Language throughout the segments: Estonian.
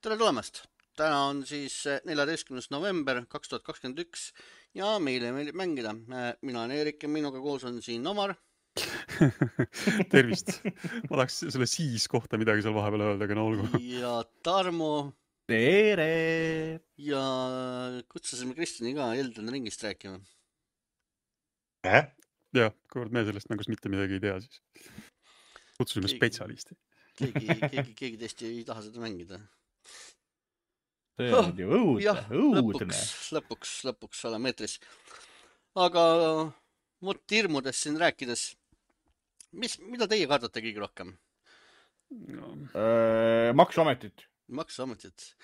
Tere tulemast! Täna on siis 14. november 2021 ja meile meeldib mängida. Mina olen Eerik ja minuga koos on siin Omar. Tervist. Ma tahaks selle siis kohta midagi seal vahepeal öelda, aga no olgu. Ja Tarmo. Tere! Ja kutsusime Kristjani ka Elden Ringist rääkima. Ja, kuivõrd me sellest mängust mitte midagi ei tea, siis kutsusime spetsialisti. Keegi teist ei taha seda mängida. See on ju õudne. Lõpuks oleme eetris. Aga vot hirmudest siin rääkides, mida teie kardate kõige rohkem? Maksuametit. Maksuametit.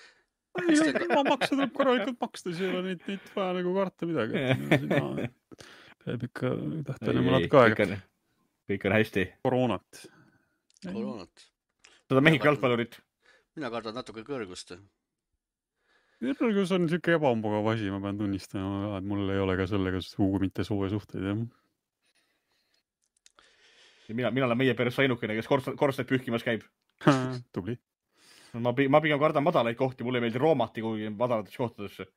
Ma maksa tuleb korralikult maksta, siis ei ole neid vaja nagu karta midagi. Peab ikka tähtpäine mõnad ka aega. Kõik on hästi. Koroonat. Seda Mehhiko jalgpallurit. Mina kardan natuke kõrgust. Kõrgus on siuke ebamugav asi, ma pean tunnistama, et mul ei ole ka sellega sugu mitte soe suhteid. Ja mina olen meie peres ainukene, kes korstnaid pühkimas käib. Tubli. Ma pigem kardan madalaid kohti, mulle ei meeldi roomati kuhugi madalatesse kohtadesse.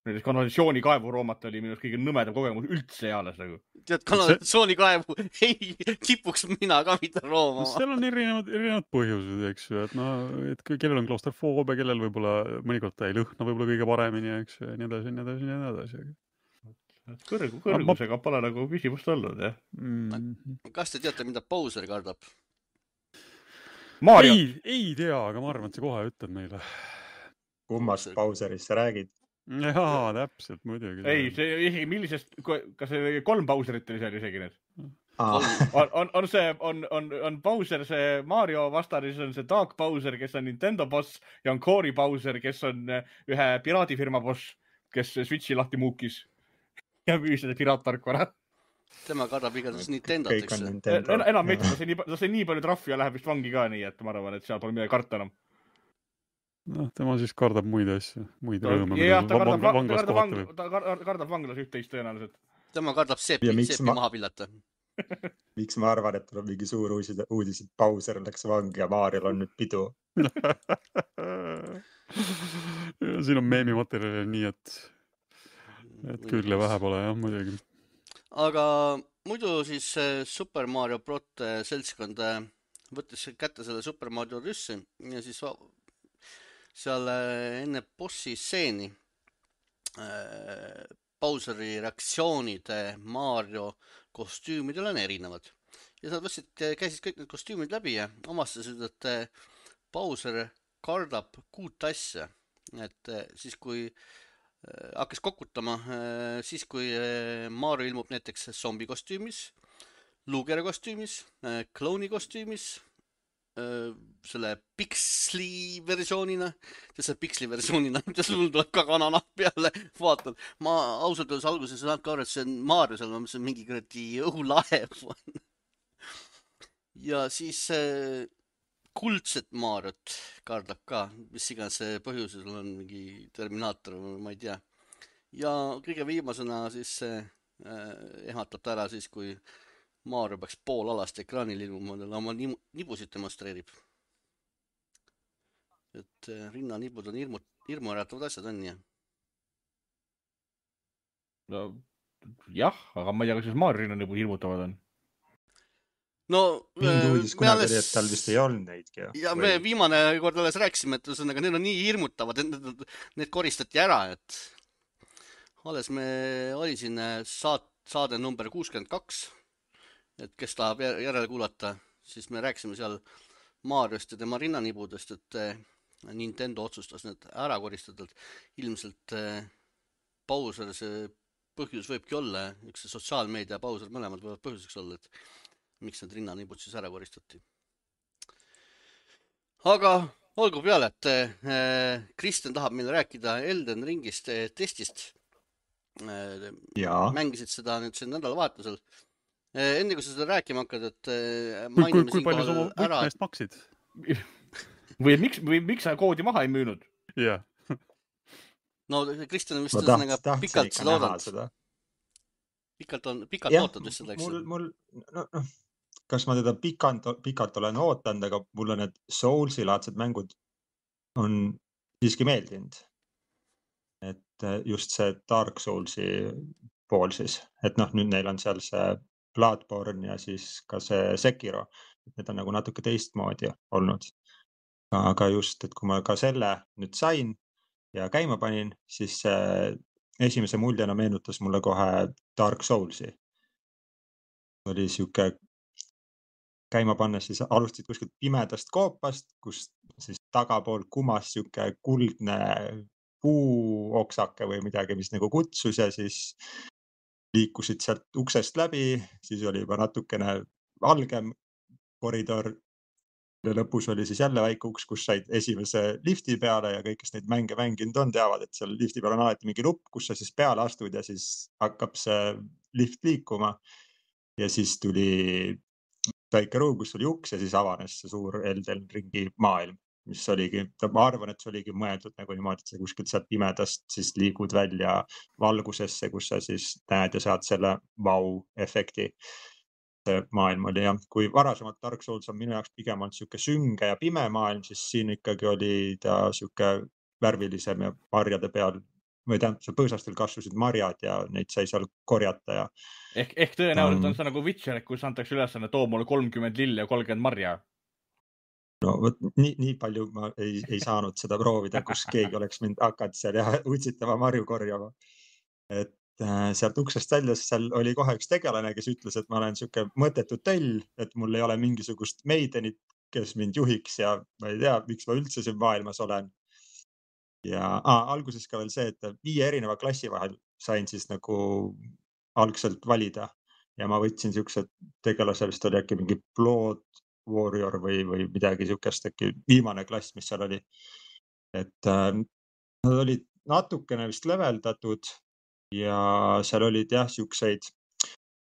Näiteks kanalisatsioonikaevu roomat oli minust kõige nõmedam kogemus üldse eales nagu. Tead, kanalisatsioonikaevu ei kipuks mina ka mitte roomama. Seal on erinevad põhjused, eks ju, et kellel on klaustrofoobia, kellel võib-olla mõnikord ta ei lõhna võib-olla kõige paremini, eks ju, ja nii edasi. Kõrgusega pole nagu küsimust olnud, jah. Kas te teate, mida Bowser kardab? Mario! Ei tea, aga ma arvan, et sa kohe ütled Kummast Bowserist sa räägid? Jaa, täpselt, muidugi. Ei, see isegi millisest, kas see 3 Bowserit oli seal isegi need? On Bowser see Mario vastane, siis on see Dark Bowser, kes on Nintendo boss ja on Cory Bowser, kes on ühe piraadifirma boss, kes Switchi lahti muukis ja müüs seda piraattarkvara. Tema kardab igatahes Nintendot, eks. Enam mitte, ta sai nii palju trahvi ja läheb vist vangi ka nii, et ma arvan, et seal pole midagi karta enam. Noh, tema siis kardab muid asju, muid rõõme. Jah, ta kardab vanglas üht-teist tõenäoliselt. Tema kardab seepi maha pillata. Miks ma arvan, et tuleb mingi suur uudis, et Bowser läks vangi ja Mariol on nüüd pidu? Siin on meemimaterjali nii, et küll ja vähe pole, jah, muidugi. Aga muidu siis Super Mario Brot seltskond võttis kätte selle Super Mario Rüssi ja siis seal enne bossi stseeni Bowseri reaktsioonid Mario kostüümidel on erinevad. Ja sa käisid kõik need kostüümid läbi ja omastasid, et Bowser kardab 6 asja. Et siis kui hakkas kokutama, siis kui Mario ilmub näiteks zombi kostüümis, Luger kostüümis, klouni kostüümis, selle Pixli versioonina, mis sul tuleb ka kananahk peale, vaatan. Ma ausalt öeldes alguses ei saanud ka aru, et see on Mario seal, mis on mingi kuradi õhulaev. Ja siis kuldset Mariot kardab ka, mis iganes see põhjusel on mingi Terminaator, ma ei tea. Ja kõige viimasena siis ehmatab ta ära siis, kui Mario peaks pool alast ekraanil ilmuma, oma nibusid demonstreerib. Et rinnanibud on hirmuäratavad asjad on, jah? No, jah, aga ma ei tea, kas siis Mario rinnanibud hirmutavad on. No, mingi uudis kunagi oli, et tal vist ei olnud neidki. Ja me viimane kord alles rääkisime, et need on nii hirmutavad, et need koristati ära, et alles me oli siin saade number 62. Et kes tahab järele kuulata, siis me rääkisime seal Mariost ja tema rinnanibudest, et Nintendo otsustas need ära koristada. Ilmselt Bowser see põhjus võibki olla, üks sotsiaalmeedia Bowser mõlemad võivad põhjuseks olla, et miks need rinnanibud siis ära koristati. Aga olgu peale, et Kristjan tahab meile rääkida Elden Ringist testist. Mängisid seda nüüd siin nädalavahetusel. Enne kui sa seda rääkima hakkad, et mainime kui palju sa oma võtmeest maksid? Või miks sa koodi maha ei müünud? Jah. No Kristjan vist on pikalt seda oodanud. Pikalt ootad vist seda, eks? Kas ma teda pikalt olen ootanud, aga mul on need Soulsi-laadsed mängud on siiski meeldinud. Et just see Dark Soulsi pool siis, et noh, nüüd neil on seal see Bloodborne ja siis ka see Sekiro, et need on nagu natuke teistmoodi olnud. Aga just, et kui ma ka selle nüüd sain ja käima panin, siis esimese muljena meenutas mulle kohe Dark Soulsi. Oli siuke käima pannes, siis alustasid kuskilt pimedast koopast, kus siis tagapool kumas siuke kuldne puuoksake või midagi, mis nagu kutsus ja siis liikusid sealt uksest läbi, siis oli juba natukene valgem koridor. Ja lõpus oli siis jälle väike uks, kus said esimese lifti peale ja kõik, kes neid mänge mänginud on, teavad, et seal lifti peal on alati mingi nupp, kus sa siis peale astud ja siis hakkab see lift liikuma. Ja siis tuli väike ruum, kus oli uks ja siis avanes see suur Elden Ringi maailm, mis oligi, ma arvan, et see oligi mõeldud nagu niimoodi, et sa kuskilt sealt pimedast siis liigud välja valgusesse, kus sa siis näed ja saad selle vau-efekti. Maailm oli jah, kui varasemalt Dark Souls on minu jaoks pigem olnud siuke sünge ja pime maailm, siis siin ikkagi oli ta siuke värvilisem ja marjade peal või tähendab, seal põõsastel kasvasid marjad ja neid sai seal korjata ja. Ehk tõenäoliselt on see nagu Witcher, kus antakse ülesanne, too mulle 30 lilli ja 30 marja. No võt, nii palju ma ei saanud seda proovida, kus keegi oleks mind hakanud seal ja utsitama marju korjama. Et sealt uksest väljas, seal oli kohe üks tegelane, kes ütles, et ma olen siuke mõttetu töll, et mul ei ole mingisugust meidenit, kes mind juhiks ja ma ei tea, miks ma üldse siin maailmas olen. Ja alguses ka veel see, et 5 erineva klassi vahel sain siis nagu algselt valida ja ma võtsin siuksed tegelase, vist oli äkki mingi Blood Warrior või midagi siukest, äkki viimane klass, mis seal oli. Et nad olid natukene vist leveldatud ja seal olid jah siukseid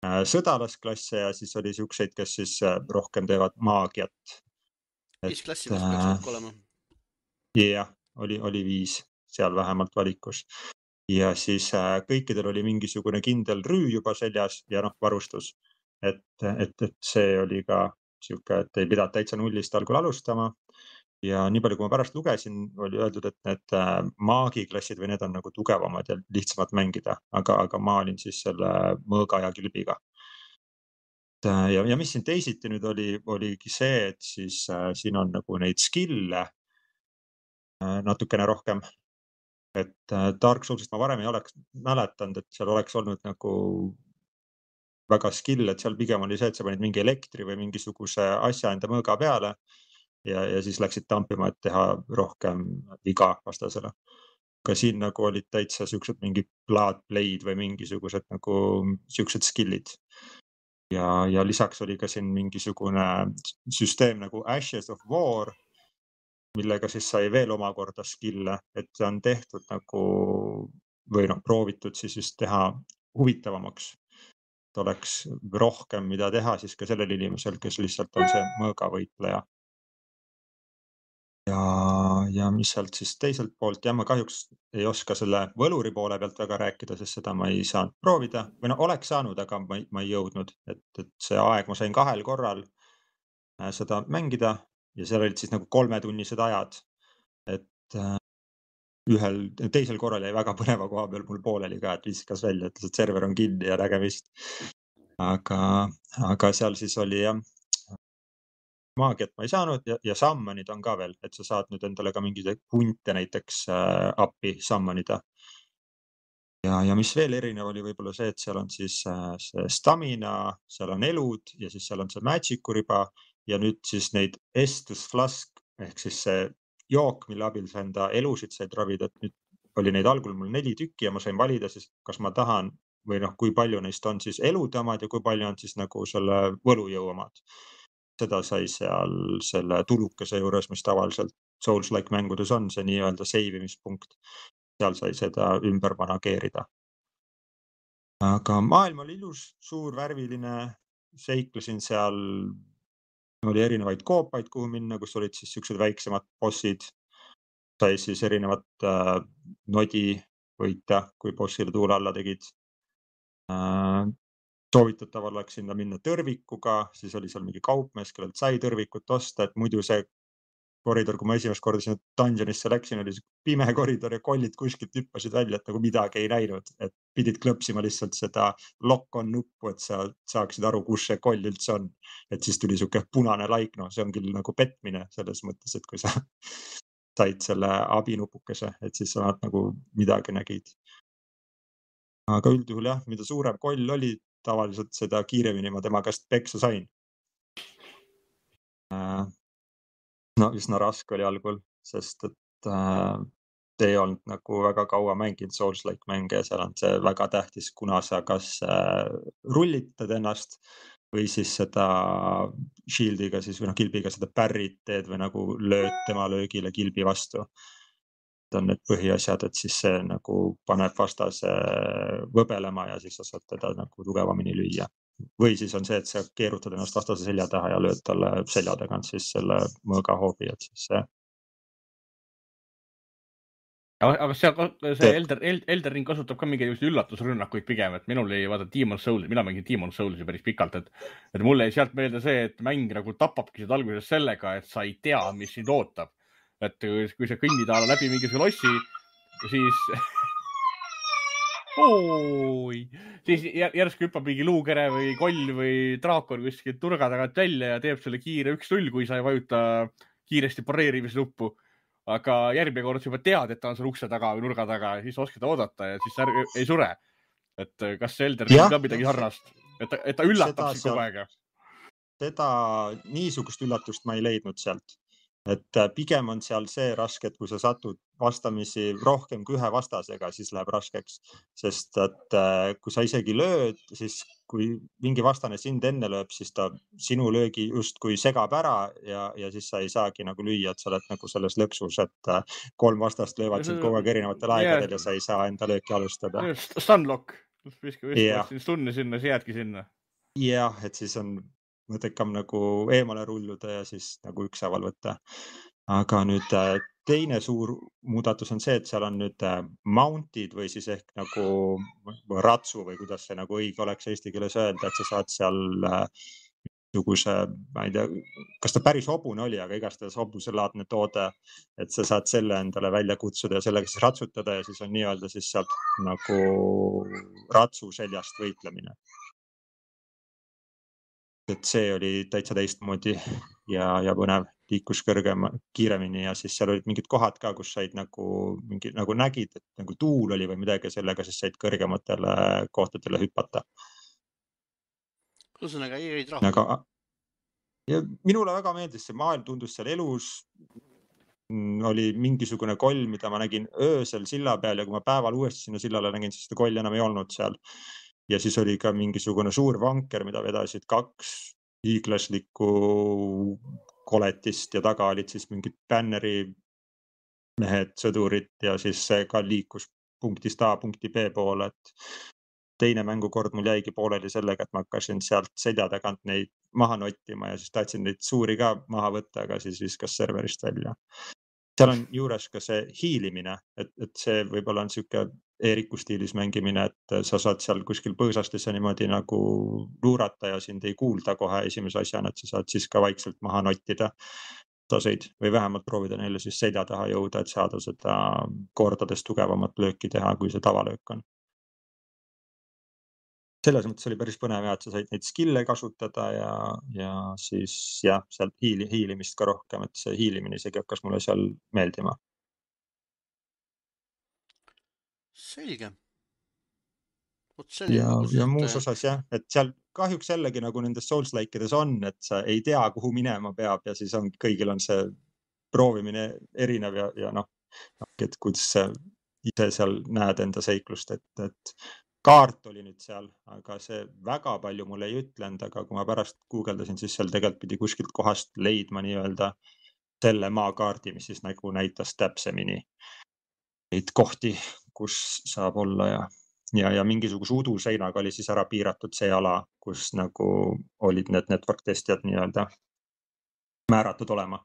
sõdalasklasse ja siis oli siukseid, kes siis rohkem teevad maagiat. 5 klassi vist peaks kokku olema. Jah, oli 5 seal vähemalt valikus. Ja siis kõikidel oli mingisugune kindel rüü juba seljas ja noh, varustus. Et see oli ka siuke, et ei pidanud täitsa nullist algul alustama. Ja nii palju, kui ma pärast lugesin, oli öeldud, et need maagiklassid või need on nagu tugevamad ja lihtsamad mängida, aga ma olin siis selle mõõga ja kilbiga. Ja mis siin teisiti nüüd oligi see, et siis siin on nagu neid skill'e natukene rohkem. Et Dark Soulsist ma varem ei oleks mäletanud, et seal oleks olnud nagu väga skill, et seal pigem oli see, et sa panid mingi elektri või mingisuguse asja enda mõõga peale. Ja siis läksid tampima, et teha rohkem viga vastasele. Ka siin nagu olid täitsa siuksed mingi blood blade või mingisugused nagu siuksed skillid. Ja lisaks oli ka siin mingisugune süsteem nagu Ashes of War, millega siis sai veel omakorda skill'e, et see on tehtud nagu või noh, proovitud siis just teha huvitavamaks. Et oleks rohkem mida teha siis ka sellel inimesel, kes lihtsalt on see mõõgavõitleja. Ja mis sealt siis teiselt poolt, ja ma kahjuks ei oska selle võluri poole pealt väga rääkida, sest seda ma ei saanud proovida või no oleks saanud, aga ma ei jõudnud, et see aeg ma sain 2 korral seda mängida ja seal olid siis nagu 3-tunnised ajad, et teisel korral jäi väga põneva koha peal mul pooleli ka, et viskas välja, ütles, et server on kinni ja nägemist. Aga seal siis oli jah, maagiat ma ei saanud ja summonid on ka veel, et sa saad nüüd endale ka mingeid hunte näiteks appi summonida. Ja mis veel erinev oli võib-olla see, et seal on siis see stamina, seal on elud ja siis seal on see magic'u riba ja nüüd siis neid Estus Flask ehk siis see jook, mille abil sa enda elusid said ravida, et nüüd oli neid algul mul 4 tükki ja ma sain valida siis, kas ma tahan või noh, kui palju neist on siis elude omad ja kui palju on siis nagu selle võlujõu omad. Seda sai seal selle tulukese juures, mis tavaliselt Souls-like mängudes on, see nii-öelda seivimispunkt. Seal sai seda ümber manageerida. Aga maailm oli ilus, suur, värviline, seiklesin seal, oli erinevaid koopaid, kuhu minna, kus olid siis siuksed väiksemad bossid. Sai siis erinevat nodi võita, kui bossile tuule alla tegid. Soovitatav oleks sinna minna tõrvikuga, siis oli seal mingi kaupmees, kellelt sai tõrvikut osta, et muidu see koridor, kui ma esimest korda sinna dungeonisse läksin, oli pime koridor ja kollid kuskilt hüppasid välja, et nagu midagi ei näinud, et pidid klõpsima lihtsalt seda lock-on nuppu, et sa saaksid aru, kus see koll üldse on. Et siis tuli siuke punane laik, no see on küll nagu petmine selles mõttes, et kui sa said selle abinupukese, et siis sa nagu midagi nägid. Aga üldjuhul jah, mida suurem koll oli, tavaliselt seda kiiremini ma tema käest peksa sain. No üsna raske oli algul, sest et ei olnud nagu väga kaua mänginud Souls-like mänge ja seal on see väga tähtis, kuna sa kas rullitad ennast või siis seda shieldiga siis või kilbiga seda parry't teed või nagu lööd tema löögile kilbi vastu. On need põhiasjad, et siis see nagu paneb vastase võbelema ja siis sa saad teda nagu tugevamini lüüa. Või siis on see, et sa keerutad ennast vastase selja taha ja lööd talle selja tagant siis selle mõõga hoobi, et siis see. Aga see Elden Ring kasutab ka mingeid üllatusrünnakuid pigem, et minul ei vaata Demon Souls, mina mängin Demon Soulsi päris pikalt, et mulle ei sealt meelde see, et mäng nagu tapabki seda alguses sellega, et sa ei tea, mis sind ootab. Et kui sa kõnnid läbi mingisuguse lossi, siis siis järsku hüppab mingi luukere või koll või draakon kuskilt nurga tagant välja ja teeb selle kiire 1-0, kui sa ei vajuta kiiresti pareerimise nuppu. Aga järgmine kord sa juba tead, et ta on seal ukse taga või nurga taga ja siis oskad oodata ja siis ei sure. Et kas see Elden Ring ka midagi sarnast, et ta üllatab sind kogu aega? Seda niisugust üllatust ma ei leidnud sealt. Et pigem on seal see raske, et kui sa satud vastamisi rohkem kui ühe vastasega, siis läheb raskeks. Sest et kui sa isegi lööd, siis kui mingi vastane sind enne lööb, siis ta sinu löögi just kui segab ära ja siis sa ei saagi nagu lüüa, et sa oled nagu selles lõksus, et 3 vastast löövad sind kogu aeg erinevatel aegadel ja sa ei saa enda lööki alustada. Stunlock, stunni sinna, siis jäädki sinna. Jah, et siis on mõttekam nagu eemale rulluda ja siis nagu ükshaaval võtta. Aga nüüd teine suur muudatus on see, et seal on nüüd mounted või siis ehk nagu ratsu või kuidas see nagu õige oleks eesti keeles öelda, et sa saad seal niisuguse, ma ei tea, kas ta päris hobune oli, aga igastahes hobuselaadne toode, et sa saad selle endale välja kutsuda ja sellega siis ratsutada ja siis on nii-öelda siis sealt nagu ratsu seljast võitlemine. Et see oli täitsa teistmoodi ja põnev, liikus kiiremini ja siis seal olid mingid kohad ka, kus said nagu nägid, et nagu tuul oli või midagi, sellega siis said kõrgematele kohtadele hüpata. Ühesõnaga ei jäid rahul. Ja minule väga meeldis see maailm, tundus seal elus. Oli mingisugune koll, mida ma nägin öösel silla peal ja kui ma päeval uuesti sinna sillale nägin, siis seda kolli enam ei olnud seal. Ja siis oli ka mingisugune suur vanker, mida vedasid 2 hiiglaslikku koletist ja taga olid siis mingid bänneri mehed, sõdurid ja siis see ka liikus punktist A punkti B poole, et teine mängukord mul jäigi pooleli sellega, et ma hakkasin sealt selja tagant neid maha nottima ja siis tahtsin neid suuri ka maha võtta, aga siis viskas serverist välja. Seal on juures ka see hiilimine, et see võib-olla on siuke Eeriku stiilis mängimine, et sa saad seal kuskil põõsastes ja niimoodi nagu luurata ja sind ei kuulda kohe esimese asjana, et sa saad siis ka vaikselt maha nottida taseid või vähemalt proovida neile siis selja taha jõuda, et saada seda kordades tugevamat lööki teha, kui see tavalöök on. Selles mõttes oli päris põnev, et sa said neid skille kasutada ja siis jah, sealt hiilimist ka rohkem, et see hiilimine isegi hakkas mulle seal meeldima. Selge. Ja muus osas jah, et seal kahjuks jällegi nagu nendes Souls-like'ides on, et sa ei tea, kuhu minema peab ja siis on, kõigil on see proovimine erinev ja et kuidas sa ise seal näed enda seiklust, et kaart oli nüüd seal, aga see väga palju mulle ei ütlenud, aga kui ma pärast guugeldasin, siis seal tegelikult pidi kuskilt kohast leidma nii-öelda selle maakaardi, mis siis nagu näitas täpsemini neid kohti, kus saab olla ja mingisuguse uduseinaga oli siis ära piiratud see ala, kus nagu olid need network testijad nii-öelda määratud olema,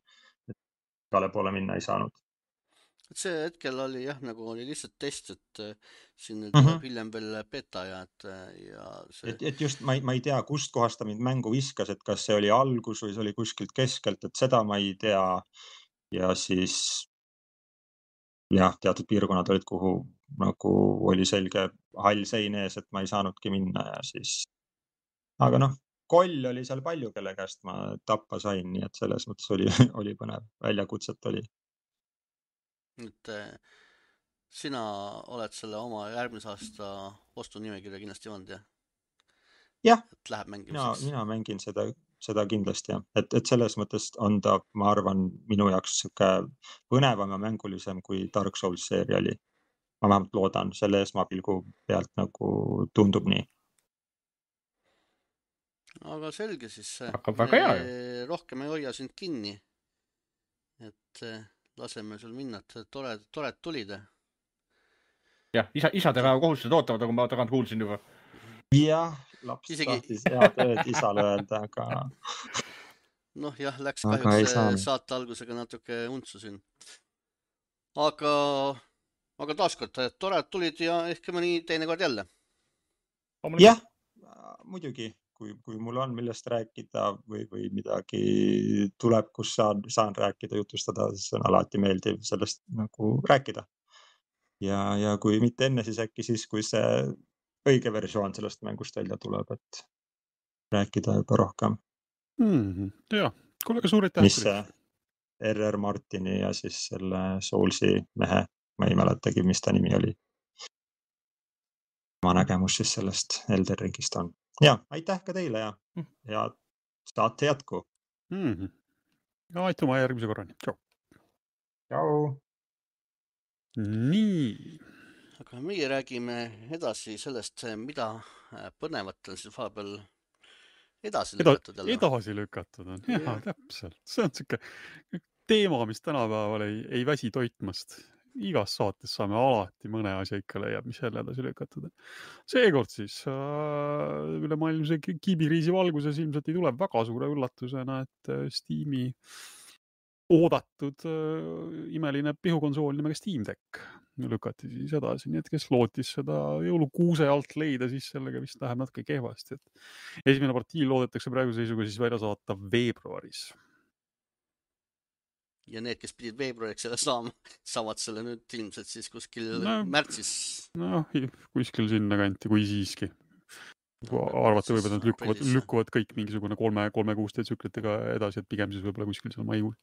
et igale poole minna ei saanud. Et see hetkel oli jah, nagu oli lihtsalt test, et siin hiljem veel beta ja see... Et just ma ei tea, kust kohast ta mind mängu viskas, et kas see oli algus või see oli kuskilt keskelt, et seda ma ei tea. ja siis jah, teatud piirkonnad olid, kuhu nagu oli selge hall sein ees, et ma ei saanudki minna ja siis, aga noh, koll oli seal palju, kelle käest ma tappa sain, nii et selles mõttes oli põnev, väljakutset oli. et sina oled selle oma järgmise aasta ostunimekirja kindlasti joonud, jah? Jah, et läheb mängimiseks. mina mängin seda kindlasti, jah. Et selles mõttes on ta, ma arvan, minu jaoks sihuke põnevam ja mängulisem kui Dark Souls seeria oli. Ma vähemalt loodan, selle esmapilgu pealt nagu tundub nii. Aga selge siis. Hakkab väga hea ju. Rohkem ei hoia sind kinni. Et laseme sul minna, et tored tulid. Jah, isadepäeva kohustused ootavad, nagu ma tagant kuulsin juba. Jah, laps tahtis head ööd isale öelda, aga... Noh jah, läks kahjuks saate algusega natuke untsusin. Aga taaskord, tored tulid ja ehk mõni teine kord jälle. Jah, muidugi, kui mul on millest rääkida või midagi tuleb, kus saan rääkida, jutustada, siis on alati meeldiv sellest nagu rääkida. Ja kui mitte enne, siis äkki siis, kui see õige versioon sellest mängust välja tuleb, et rääkida juba rohkem. Jah, kuule, suur aitäh. Mis see R.R. Martini ja siis selle Soulsi mehe, ma ei mäletagi, mis ta nimi oli. Ma nägemus siis sellest Elden Ringist on. Ja, aitäh ka teile ja saate jätku. Aituma järgmise korrani. Tšau. Tšau. Nii. Aga meie räägime edasi sellest, mida põnevat on siis vahepeal edasi lükatud. Edasi lükatud on, jah, täpselt. See on siuke teema, mis tänapäeval ei väsi toitmast. Igas saates saame alati mõne asja ikka leiab, mis jälle edasi lükatud on. Seekord siis ülemaailmse kiibikriisi valguses ilmselt ei tule väga suure üllatusena, et Steam'i oodatud imeline pihukonsool nimega Steam Deck lükati siis edasi, nii et kes lootis seda jõulukuuse alt leida, siis sellega vist läheb natuke kehvasti. Esimene partii loodetakse praegu seisuga siis välja saata veebruaris. Ja need, kes pidid veebruariks selle saavad selle nüüd ilmselt siis kuskil märtsis. Kuskil sinna kanti, kui siiski. Arvata võib, et nad lükkuvad kõik mingisugune 3 kuuste tsüklitega edasi, et pigem siis võib-olla kuskil seal maikuus.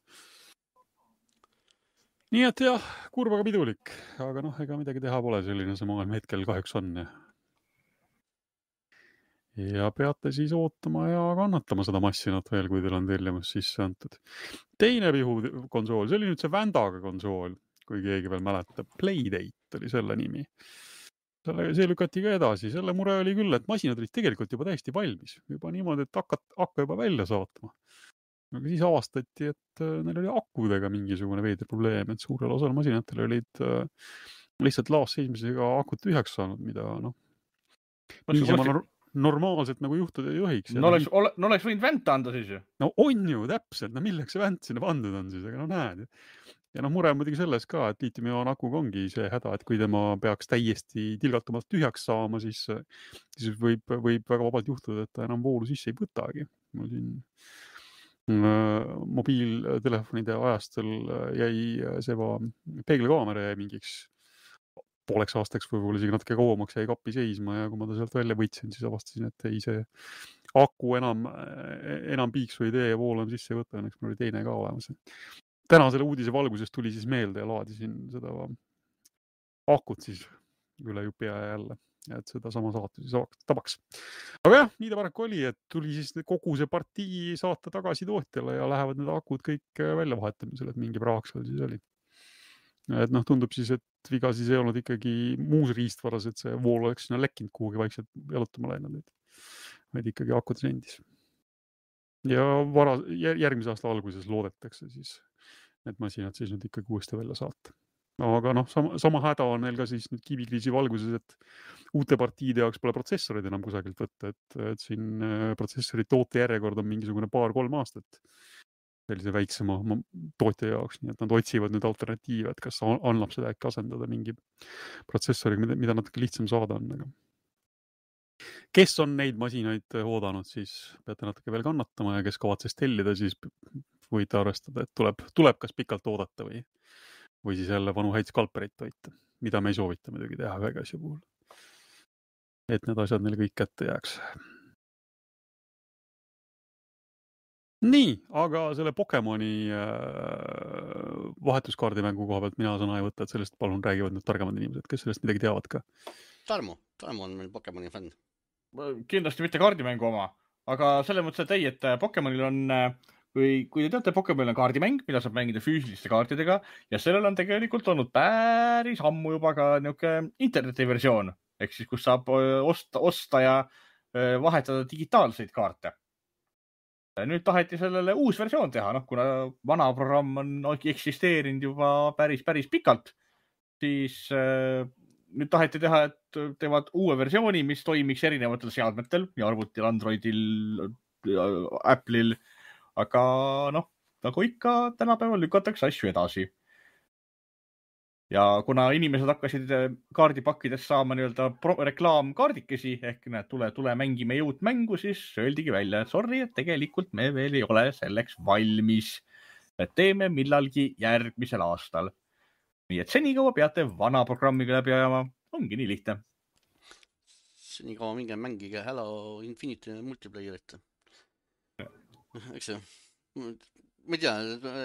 Nii et jah, kurb aga pidulik, aga ega midagi teha pole, selline see maailm hetkel kahjuks on. Ja peate siis ootama ja kannatama seda massinat veel, kui teil on tellimus sisse antud. Teine pihukonsool, see oli nüüd see Vandaga konsool, kui keegi veel mäletab. Playdate oli selle nimi. See lükati ka edasi. Selle mure oli küll, et masinad olid tegelikult juba täiesti valmis. Juba niimoodi, et hakka juba välja saatma. Aga siis avastati, et neil oli akudega mingisugune veider probleem, et suurel osal masinatel olid lihtsalt laasseismisega akut tühjaks saanud, mida normaalselt nagu juhtuda ei tohiks. No oleks võinud vänt anda siis ju. No on ju, täpselt. No milleks see vänt sinna pandud on siis, aga näed. Ja mure on muidugi selles ka, et liitiumioon akuga ongi see häda, et kui tema peaks täiesti tilgatumalt tühjaks saama, siis võib väga vabalt juhtuda, et ta enam voolu sisse ei võtagi. Mul siin mobiiltelefonide ajastel jäi see peeglikaamera jäi mingiks pooleks aastaks võib-olla isegi natuke kauemaks jäi kappi seisma ja kui ma ta sealt välja võtsin, siis avastasin, et ei see aku enam piiksu ei tee ja vool on sisse võtta, õnneks mul oli teine ka olemas. Täna selle uudise valguses tuli siis meelde ja laadisin seda akut siis üle jupi ja jälle. Et seda sama saatu siis tabaks. Aga jah, nii ta paraku oli, et tuli siis kogu see partii saata tagasi tootjale ja lähevad need akud kõik välja vahetamisele, et mingi praaks seal siis oli. Et tundub siis, et viga siis ei olnud ikkagi muus riistvaras, et see vool oleks sinna lekkinud kuhugi vaikselt jalutama läinud, vaid ikkagi akud rendis. Ja järgmise aasta alguses loodetakse siis need masinad siis nüüd ikkagi uuesti välja saata. Aga sama häda on neil ka siis nüüd kiibikriisi valguses, et uute partiide jaoks pole protsessorid enam kusagilt võtta, et siin protsessori toote järjekord on mingisugune 2-3 aastat sellise väiksema tootja jaoks, nii et nad otsivad nüüd alternatiive, et kas annab seda äkki asendada mingi protsessoriga, mida natuke lihtsam saada on. Kes on neid masinaid oodanud, siis peate natuke veel kannatama ja kes kavatses tellida, siis võite arvestada, et tuleb kas pikalt oodata või siis jälle vanu häid skalpereid toita, mida me ei soovita muidugi teha ühega asja puhul. Et need asjad neile kõik kätte jääks. Nii, aga selle Pokemoni vahetuskaardimängu koha pealt mina sõna ei võta, et sellest palun räägivad need targemad inimesed, kes sellest midagi teavad ka. Tarmo on meil Pokemoni fänn. Kindlasti mitte kaardimängu oma, aga selle mõttes, et ei, et Pokemonil on, kui te teate, Pokemonil on kaardimäng, mida saab mängida füüsiliste kaartidega ja sellel on tegelikult olnud päris ammu juba ka niisugune internetiversioon, ehk siis kus saab osta ja vahetada digitaalseid kaarte. Nüüd taheti sellele uus versioon teha, kuna vana programm on eksisteerinud juba päris pikalt, siis nüüd taheti teha, et teevad uue versiooni, mis toimiks erinevatel seadmetel, nii arvutil, Androidil, Apple'il, aga nagu ikka tänapäeval lükatakse asju edasi. Ja kuna inimesed hakkasid kaardipakkides saama reklaamkaardikesi ehk tule mängime uut mängu, siis öeldigi välja, et sorry, et tegelikult me veel ei ole selleks valmis. Et teeme millalgi järgmisel aastal. Nii et senikaua peate vana programmiga läbi ajama. Ongi nii lihtne. Senikaua minge mängige Halo Infinite multiplayerit. Eks see? Ma ei tea,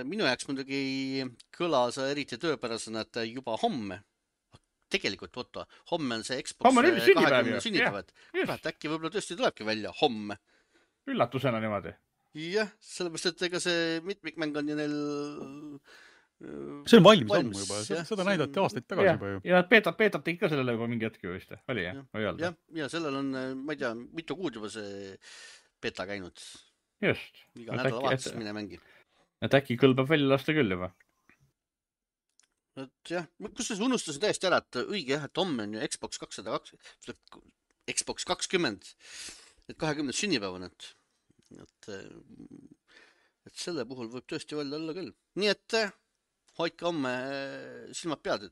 minu jaoks muidugi kõlas eriti tööpärasena, et juba homme. Tegelikult, homme on see Xbox 20 sünnipäev. Äkki võib-olla tõesti tulebki välja homme. Üllatusena niimoodi. Jah, sellepärast, et ega see mitmikmäng on ju neil... See on valmis ammu juba, seda näidati aastaid tagasi juba ju. Ja peetab teid ka sellele juba mingi hetki vist, oli jah? Ja sellel on, ma ei tea, mitu kuud juba see beta käinud. Just. Iga nädalavahetus mine mängi. Et äkki kõlbab välja lasta küll juba. Et jah, kusjuures unustasin täiesti ära, et õige jah, et homme on ju Xbox 20, et 20 sünnipäev on, et selle puhul võib tõesti välja olla küll. Nii et hoidke homme silmad pead,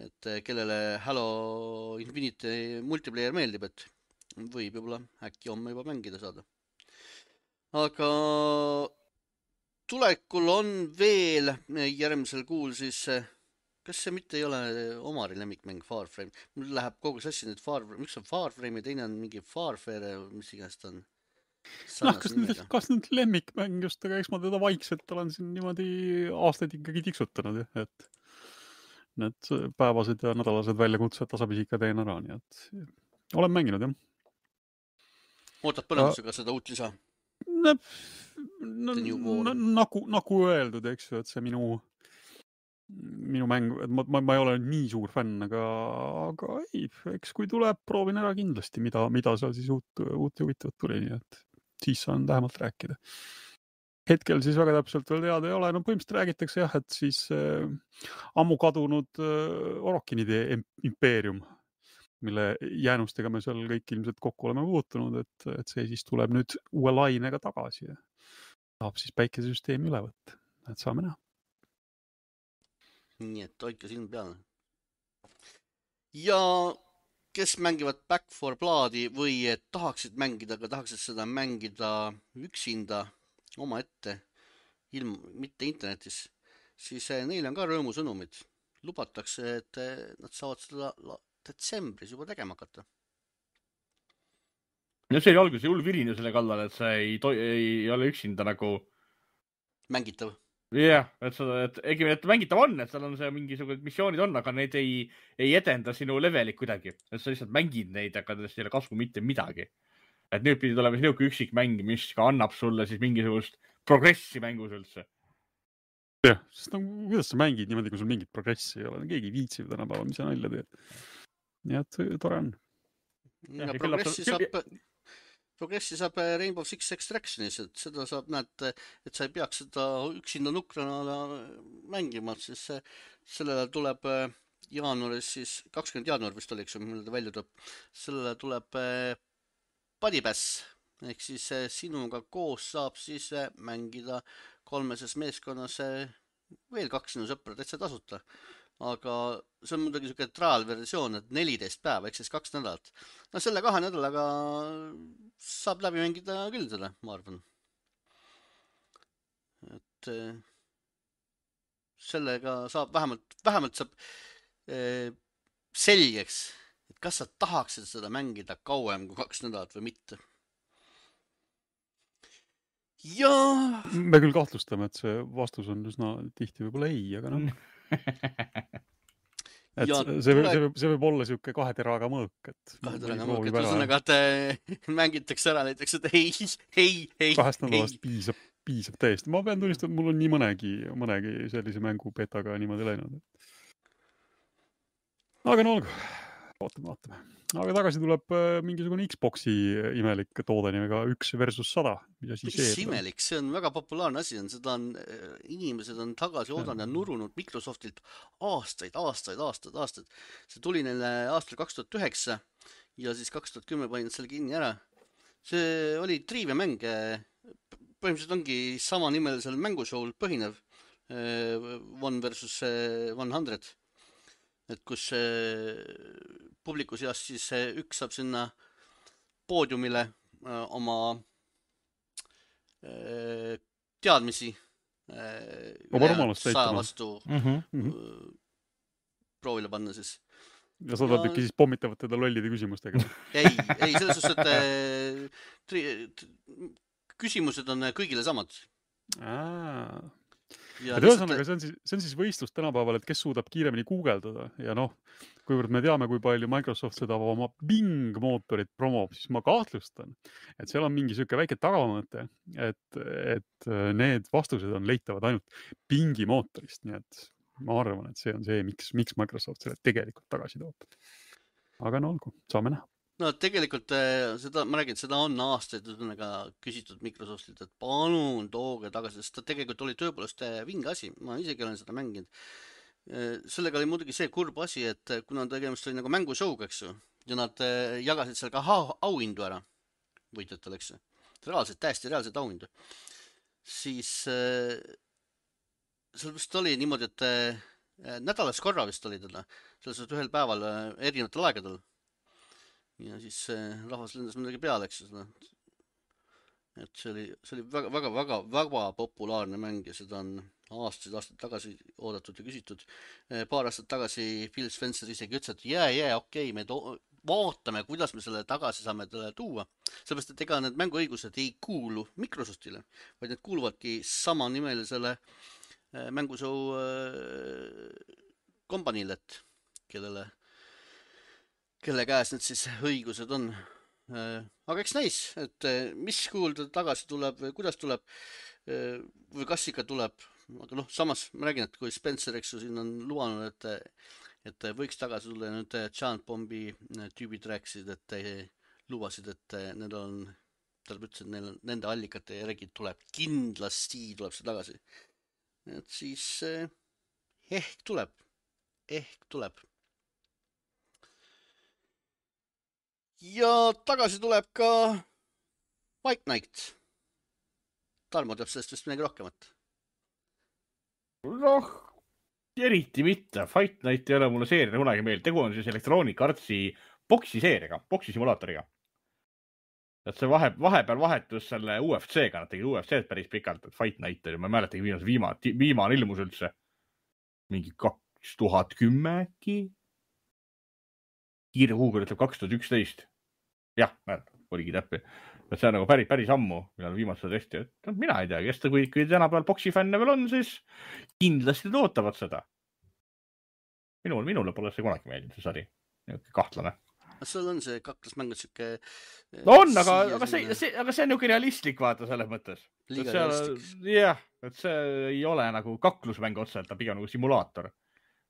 et kellele Halo Infinite multiplayer meeldib, et võib juba äkki homme juba mängida saada. Aga tulekul on veel järgmisel kuul siis, kas see mitte ei ole Omari lemmikmäng Farframe? Mul läheb kogu sassi nüüd Farframe, üks on Farframe ja teine on mingi Farfare, mis iganes ta on. Kas nüüd lemmikmäng just, aga eks ma teda vaikselt olen siin niimoodi aastaid ikkagi tiksutanud, et need päevased ja nädalased väljakutsed tasapisi ikka teen ära, nii et olen mänginud, jah. Ootad põnevusega seda uut lisa? Nagu öeldud, eks ju, et see minu mäng, ma ei ole nii suur fänn, aga ei, eks kui tuleb, proovin ära kindlasti, mida seal siis uut ja huvitavat tuli, nii et siis saan lähemalt rääkida. Hetkel siis väga täpselt veel teada ei ole, põhimõtteliselt räägitakse jah, et siis ammu kadunud Orokinide impeerium, mille jäänustega me seal kõik ilmselt kokku oleme puutunud, et see siis tuleb nüüd uue lainega tagasi ja tahab siis päikesesüsteemi üle võtta, et saame näha. Nii et hoidke silm peale. Ja kes mängivad Back 4 Bloodi või tahaksid mängida, aga tahaksid seda mängida üksinda oma ette, mitte internetis, siis neil on ka rõõmusõnumid. Lubatakse, et nad saavad seda detsembris juba tegema hakata. Ja see oli alguses hull virine selle kallal, et see ei ole üksinda nagu mängitav. Jah, et mängitav on, et seal on see mingisugused missioonid on, aga need ei edenda sinu levelit kuidagi. Et sa lihtsalt mängid neid, aga sellest ei ole kasu mitte midagi. Et nüüd pidi tulema niisugune üksik mäng, mis ka annab sulle siis mingisugust progressi mängus üldse. Jah, sest kuidas sa mängid niimoodi, kui sul mingit progressi ei ole? Keegi viitsib tänapäeval, mis sa nalja teed. Nii et tore on. Progressi saab Rainbow Six Extractionis, et seda saab näed, et sa ei peaks seda üksinda nukrana mängima, siis sellele tuleb jaanuaris siis, 20 jaanuar vist oli, mille ta välja tuleb, sellele tuleb Buddypass, ehk siis sinuga koos saab siis mängida 3 meeskonnas veel 2 sinu sõpra täitsa tasuta. Aga see on muidugi selline trial-versioon, et 14 päeva, ehk siis 2 nädalat. No selle 2 nädalaga saab läbi mängida küll seda, ma arvan. et sellega saab vähemalt saab selgeks, et kas sa tahaksid seda mängida kauem kui 2 nädalat või mitte. Ja me küll kahtlustame, et see vastus on üsna tihti võib-olla ei, aga noh. Et see võib olla siuke 2 teraga mõõk, et 2 teraga mõõk, et ühesõnaga, et mängitakse ära näiteks, et ei. 2 nädalast piisab täiesti. Ma pean tunnistama, et mul on nii mõnegi sellise mängu betaga niimoodi läinud. Aga no olgu, vaatame. Aga tagasi tuleb mingisugune Xboxi imelik toode nimega 1 versus 100. Mis imelik, see on väga populaarne asi. Seda on, inimesed on tagasi oodanud ja nurunud Microsoftilt aastaid. See tuli neile aastal 2009 ja siis 2010 panin selle kinni ära. See oli triiviamäng. Põhimõtteliselt ongi sama nimelisel mängushow'l põhinev 1 versus 100. Et kus publiku seas siis üks saab sinna poodiumile oma teadmisi 100 vastu proovile panna siis. Ja sa tahad ikka siis pommitavad teda lollide küsimustega? Ei, selles suhtes, et küsimused on kõigile samad. Ja ühesõnaga, see on siis võistlus tänapäeval, et kes suudab kiiremini guugeldada ja noh, kuivõrd me teame, kui palju Microsoft seda oma Bing mootorit promob, siis ma kahtlustan, et seal on mingi siuke väike tagamõte, et need vastused on leitavad ainult Bingi mootorist, nii et ma arvan, et see on see, miks Microsoft selle tegelikult tagasi toob. Aga no olgu, saame näha. No tegelikult ma räägin, seda on aastaid küsitud Microsoftilt, et palun tooge tagasi, sest ta tegelikult oli tõepoolest vinge asi, ma isegi olen seda mänginud. Sellega oli muidugi see kurb asi, et kuna tegemist oli nagu mängushow'ga, eks ju, ja nad jagasid seal ka auhindu ära võitjatele, eks ju, täiesti reaalselt auhindu, siis seal vist oli niimoodi, et nädalas korra vist oli teda, selles ühel päeval erinevatel aegadel. Ja siis rahvas lendas midagi peale, eks ju. Et see oli väga populaarne mäng ja seda on aastaid tagasi oodatud ja küsitud. Paar aastat tagasi Phil Spencer isegi ütles, et okei, me vaatame, kuidas me selle tagasi saame tuua. Sellepärast, et ega need mänguõigused ei kuulu Microsoftile, vaid need kuuluvadki samanimelisele mängushow kompaniile, kelle käes need siis õigused on. Aga eks näis, et mis kuulda tagasi tuleb, kuidas tuleb või kas ikka tuleb. Aga noh, samas ma räägin, et kui Spencer, eks ju, siin on luvanud, et võiks tagasi tulla ja nüüd Giant Bombi tüübid rääkisid, et lubasid, et need on, tähendab ütles, et nende allikate järgi tuleb, kindlasti tuleb see tagasi. Et siis ehk tuleb. Ja tagasi tuleb ka White Knight. Tarmo teab sellest vist midagi rohkemat. Noh, eriti mitte. Fight Night ei ole mulle seeria kunagi meeld. Tegu on siis Electronic Artsi boksiseeriga, boksisimulaatoriga. Et see vahepeal vahetus selle UFC-ga, nad tegid UFC-d päris pikalt, et Fight Night oli, ma ei mäletagi viimane ilmus üldse. Mingi 2010 äkki? Kiire Google ütleb 2011. Jah, oligi täppi. Et see on nagu päris ammu, millal viimased tõesti. Et mina ei tea, kes ta kui tänapäeval boksifänne veel on, siis kindlasti tootavad seda. Minule pole see kunagi meeldinud, see sari. Kahtlane. Sul on see kaklusmängud siuke... On, aga see on niuke realistlik vaata selles mõttes. Liiga realistlik. Jah, et see ei ole nagu kaklusmäng otseselt, ta pigem nagu simulaator.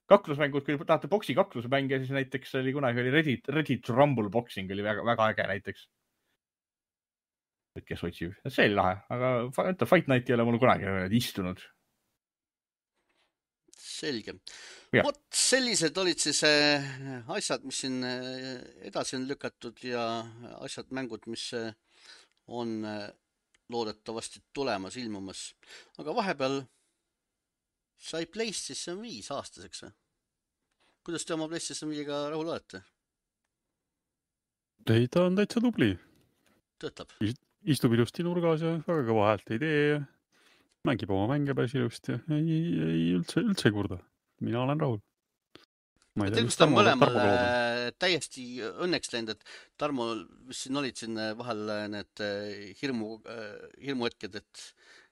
Kaklusmängud, kui tahate boksi kaklusmänge, siis näiteks oli kunagi Reddit to Rumble boxing oli väga äge näiteks. Et kes otsib. See oli lahe, aga Fight Night ei ole mul kunagi istunud. Selge. Vot sellised olid siis asjad, mis siin edasi on lükatud ja asjad, mängud, mis on loodetavasti tulemas, ilmumas. Aga vahepeal sai PlayStation 5 aastaseks. Kuidas te oma PlayStation 5-ga rahul olete? Ei, ta on täitsa tubli. Töötab. Istub ilusti nurgas ja väga kõva häält ei tee. mängib oma mänge päris ilusti ja ei üldse ei kurda. Mina olen rahul. Ma ei tea, Tegelikult on mõlemal täiesti õnneks läinud, et Tarmo, mis siin olid siin vahel need hirmuhetked, et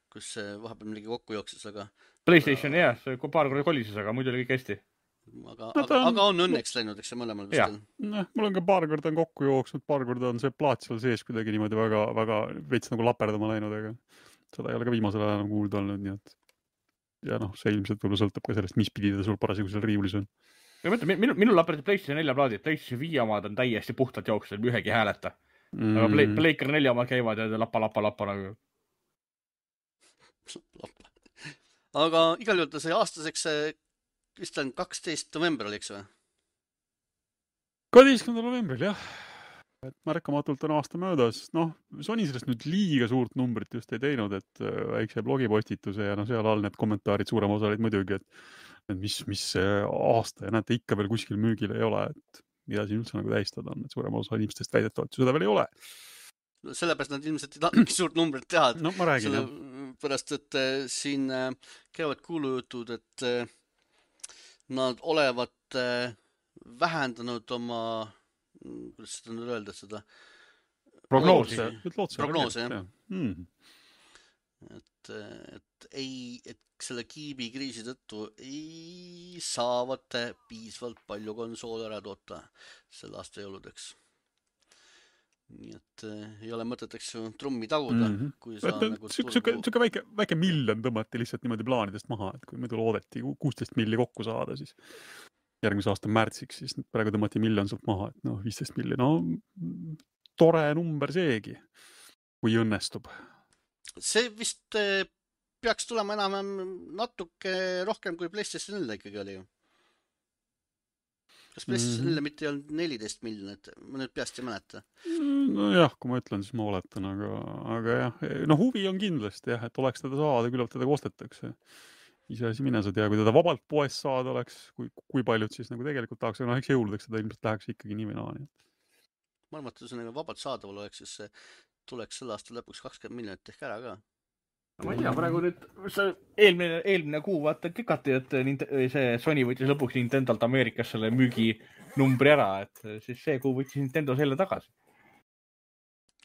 kus vahepeal millegi kokku jookses, aga... PlayStation, jah, see paar korda kolises, aga muidu oli kõik hästi. Aga on õnneks läinud, eks see mõlemal vist. Mul on ka paar korda on kokku jooksnud, paar korda on see plaat seal sees kuidagi niimoodi väga veits nagu laperdama läinud, aga seda ei ole ka viimasel ajal enam kuulda olnud, nii et ja see ilmselt võib-olla sõltub ka sellest, mis pidi ta sul parasjagu seal riiulis on. Ja mõtle, minul laperdi PlayStation 4 plaadid, PlayStation 5 omad on täiesti puhtalt jooksnud, ühegi hääleta. Aga Playker 4 omad käivad ja lappa nagu. Aga igal juhul ta sai aastaseks, vist on 12. november oli, eks või? 12. novembril, jah. Et märkamatult on aasta möödas. Sony sellest nüüd liiga suurt numbrit just ei teinud, et väikse blogipostituse ja seal all need kommentaarid suurem osa olid muidugi, et mis aasta ja näete ikka veel kuskil müügil ei ole, et mida siin üldse nagu tähistada on, et suurem osa inimestest väidetavalt seda veel ei ole. Sellepärast nad ilmselt ei tahtnud suurt numbrit teha. Ma räägin, pärast, et siin käivad kuulujutud, et nad olevat vähendanud oma, kuidas seda nüüd öelda, seda prognoosi, jah. Et selle kiibi kriisi tõttu ei saavad piisvalt palju konsoole ära toota selle aasta jõuludeks. Nii et ei ole mõtet, eks trummi taguda. Siuke väike miljon tõmmati lihtsalt niimoodi plaanidest maha, et kui muidu loodeti 16 milli kokku saada, siis järgmise aasta märtsiks, siis praegu tõmmati miljon sealt maha, et 15 milli. Tore number seegi, kui õnnestub. See vist peaks tulema enam natuke rohkem kui PlayStation 4 ikkagi oli ju. Kas PlayStation 4 mitte ei olnud 14 miljonit? Ma nüüd peast ei mäleta. Jah, kui ma ütlen, siis ma oletan, aga jah. Huvi on kindlasti jah, et oleks teda saada, küllap teda kostetakse. Ise asi mine sa tea, kui teda vabalt poest saada oleks, kui paljud siis nagu tegelikult tahaks, aga eks jõuludeks seda ilmselt läheks ikkagi nii või naa. Ma arvan, et see vabalt saadaval oleks, siis see tuleks selle aasta lõpuks 20 miljonit ehk ära ka. Ma ei tea, praegu nüüd eelmine kuu vaata kikati, et see Sony võttis lõpuks Nintendolt Ameerikas selle müüginumbri ära, et siis see kuu võttis Nintendo selle tagasi.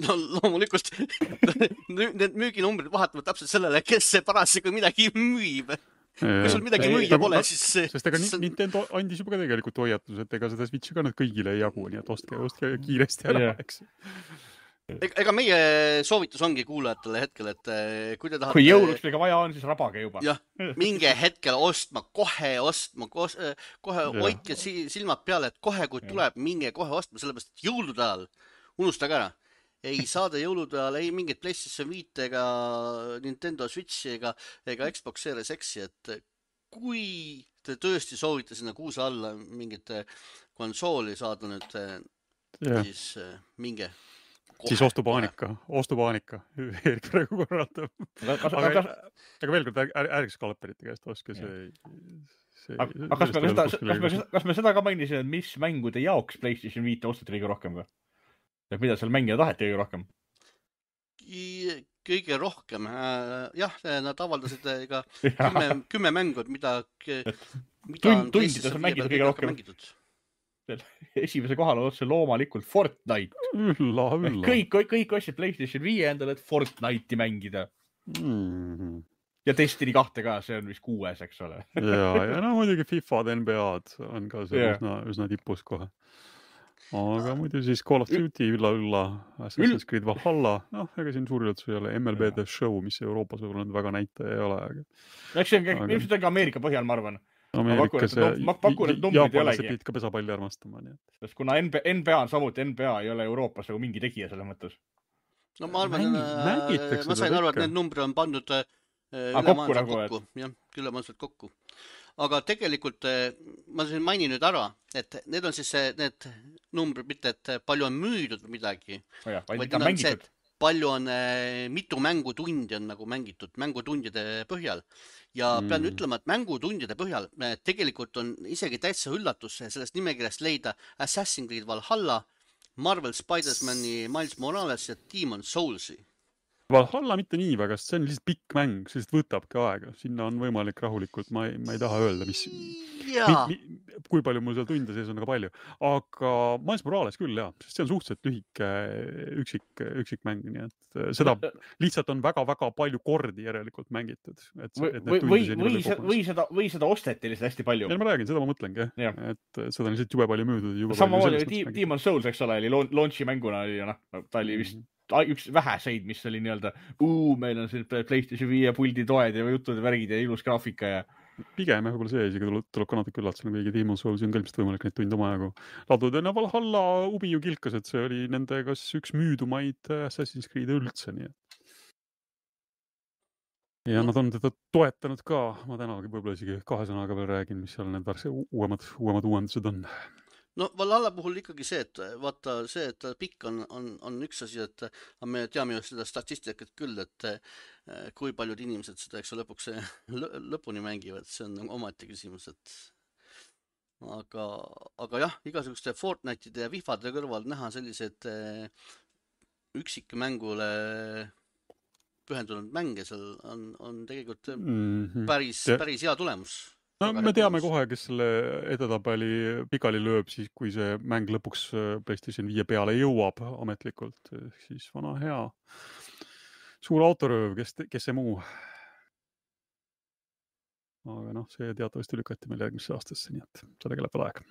No loomulikult need müüginumbrid vahetavad täpselt sellele, kes see parasjagu midagi müüb. Kui sul midagi müüa pole, siis see... Sest ega Nintendo andis juba ka tegelikult hoiatus, et ega seda Switchi ka nüüd kõigile ei jagu, nii et ostke kiiresti ära, eks. Ega meie soovitus ongi kuulajatele hetkel, et kui te tahate... Kui jõuluks ega vaja on, siis rabage juba. Jah, minge hetkel kohe hoidke silmad peale, et kohe kui tuleb, minge kohe ostma, sellepärast, et jõulude ajal unustage ära. Ei saada jõulude ajal ei mingit PlayStation 5 ega Nintendo Switchi ega Xbox Series X-i, et kui te tõesti soovite sinna kuuse alla mingit konsooli saada nüüd, siis minge. Siis ostupaanika. Erik praegu korratab. Aga veel kord, ärge skalperite käest oske see... Kas me seda ka mainisime, mis mängude jaoks PlayStation 5 ostati kõige rohkem või? Et mida seal mängida taheti kõige rohkem? Kõige rohkem, jah, nad avaldasid ka 10 mängud, mida on tundides on mängitud kõige rohkem. Esimese kohal on otse loomalikult Fortnite. Kõik ostsid PlayStation 5 endale, et Fortnite'i mängida. Ja Destiny 2 ka, see on vist 6, eks ole. ja muidugi FIFA'd, NBA'd on ka see üsna tipus kohe. Aga muidu siis Call of Duty ülla, Assassin's Creed Valhalla, ega siin suuri üldse ei ole, MLB The Show, mis Euroopas võib-olla väga näitaja ei ole. Eks see on ilmselt ka Ameerika põhjal, ma arvan. Ameerikas jaapanlased pidid ka pesapalli armastama. Sest kuna NBA on samuti, NBA ei ole Euroopas mingi tegija selle mõttes. No ma arvan, ma sain aru, et need numbrid on pandud ülemaailmselt kokku. Aga tegelikult ma siin mainin nüüd ära, et need on siis need numbrid, mitte et palju on müüdud midagi, vaid on see, et palju on, mitu mängutundi on nagu mängitud mängutundide põhjal. Ja pean ütlema, et mängutundide põhjal tegelikult on isegi täitsa üllatus sellest nimekirjast leida Assassin's Creed Valhalla, Marvel Spider-Mani Miles Morales ja Demon's Soulsi. Valhalla mitte nii väga, sest see on lihtsalt pikk mäng, see lihtsalt võtabki aega. Sinna on võimalik rahulikult, ma ei taha öelda, Jaa. kui palju mul seal tunde sees on väga palju. Aga Miles Morales küll, jah, sest see on suhteliselt lühike üksik mäng, nii et seda lihtsalt on väga-väga palju kordi järelikult mängitud. Või seda osteti lihtsalt hästi palju. Ja ma räägin, seda ma mõtlengi, et seda on lihtsalt jube palju müüdud. Samamoodi Demon's Souls, eks ole, oli launchi mänguna, ta oli vist üks väheseid, mis oli nii-öelda, meil on siin PlayStation 5 puldi toed ja jutud ja värgid ja ilus graafika ja... Pigem võib-olla see isegi tuleb ka natuke üllatusena, kuigi Demon's Souls on ka ilmselt võimalik neid tunde omajagu laduda. Ja Valhalla ubi ju kilkas, et see oli nende kas üks müüdumaid Assassin's Creed üldse, nii et. Ja nad on teda toetanud ka, ma tänagi võib-olla isegi 2 sõnaga veel räägin, mis seal need uuemad uuendused on. No Valhalla puhul ikkagi see, et vaata see, et pikk on üks asi, et me teame ju seda statistikat küll, et kui paljud inimesed seda, eks lõpuks lõpuni mängivad, see on omati küsimus, et aga jah, igasuguste Fortnite'ide ja Fifade kõrval näha sellised üksikmängule pühendunud mänge, seal on tegelikult päris hea tulemus. No, me teame kohe, kes selle edetabeli pikali lööb, siis kui see mäng lõpuks PlayStation 5 peale jõuab ametlikult, siis vana hea suur autorööv, kes see muu. Aga see teatavasti lükati meil järgmisse aastasse, nii et sellega läheb veel aeg.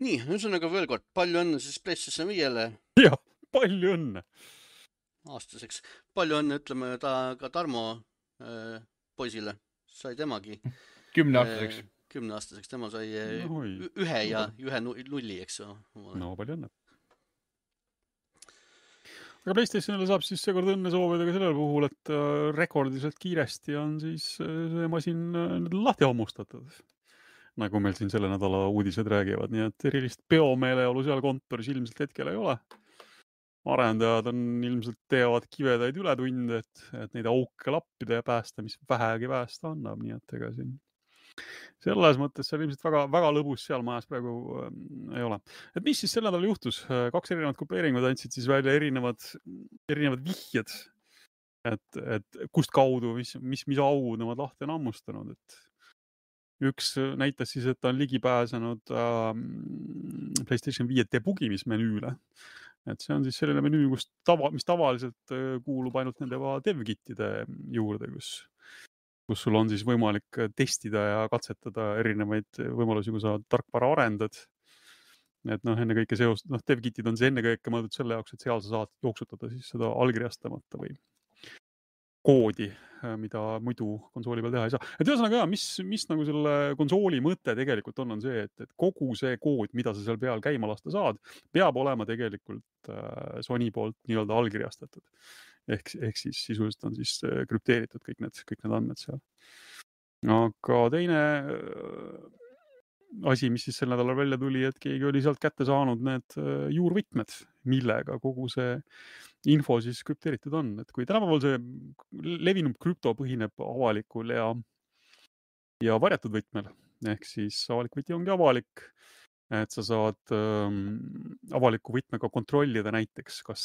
Nii, ühesõnaga veel kord, palju õnne siis PlayStation 5-le. Jah, palju õnne. Aastaseks. Palju õnne, ütleme ka Tarmo poisile, sai temagi 10-aastaseks. 10-aastaseks, tema sai 1 ja 1 nulli, eks ju. No, palju õnne. Aga PlayStationile saab siis seekord õnne soovida ka sellel puhul, et rekordiliselt kiiresti on siis see masin lahti hammustatud. Nagu meil siin selle nädala uudised räägivad, nii et erilist peomeeleolu seal kontoris ilmselt hetkel ei ole. Arendajad on ilmselt teevad kivedaid ületunde, et neid auke lappida ja päästa, mis vähegi päästa annab, nii et ega siin selles mõttes see on ilmselt väga lõbus seal majas praegu ei ole. Et mis siis sel nädal juhtus? 2 erinevat grupeeringud andsid siis välja erinevad vihjed, et kust kaudu, mis augud nemad lahti on ammustanud, et üks näitas siis, et ta on ligi pääsenud PlayStation 5 debugimismenüüle. Et see on siis selline menüü, mis tavaliselt kuulub ainult nende dev-kitide juurde, kus sul on siis võimalik testida ja katsetada erinevaid võimalusi, kui sa tarkvara arendad. Et ennekõike dev-kitid on see ennekõike mõeldud selle jaoks, et seal sa saad jooksutada siis seda allkirjastamata või koodi, mida muidu konsooli peal teha ei saa. Et ühesõnaga, mis nagu selle konsooli mõte tegelikult on see, et kogu see kood, mida sa seal peal käima lasta saad, peab olema tegelikult Sony poolt nii-öelda allkirjastatud. Ehk siis sisuliselt on siis krüpteeritud kõik need andmed seal. Aga teine asi, mis siis sel nädalal välja tuli, et keegi oli sealt kätte saanud need juurvõtmed, millega kogu see info siis krüpteeritud on. Et kui tänapäeval see levinum krüpto põhineb avalikul ja varjatud võtmel, ehk siis avalik võti ongi avalik, et sa saad avaliku võtmega kontrollida näiteks, kas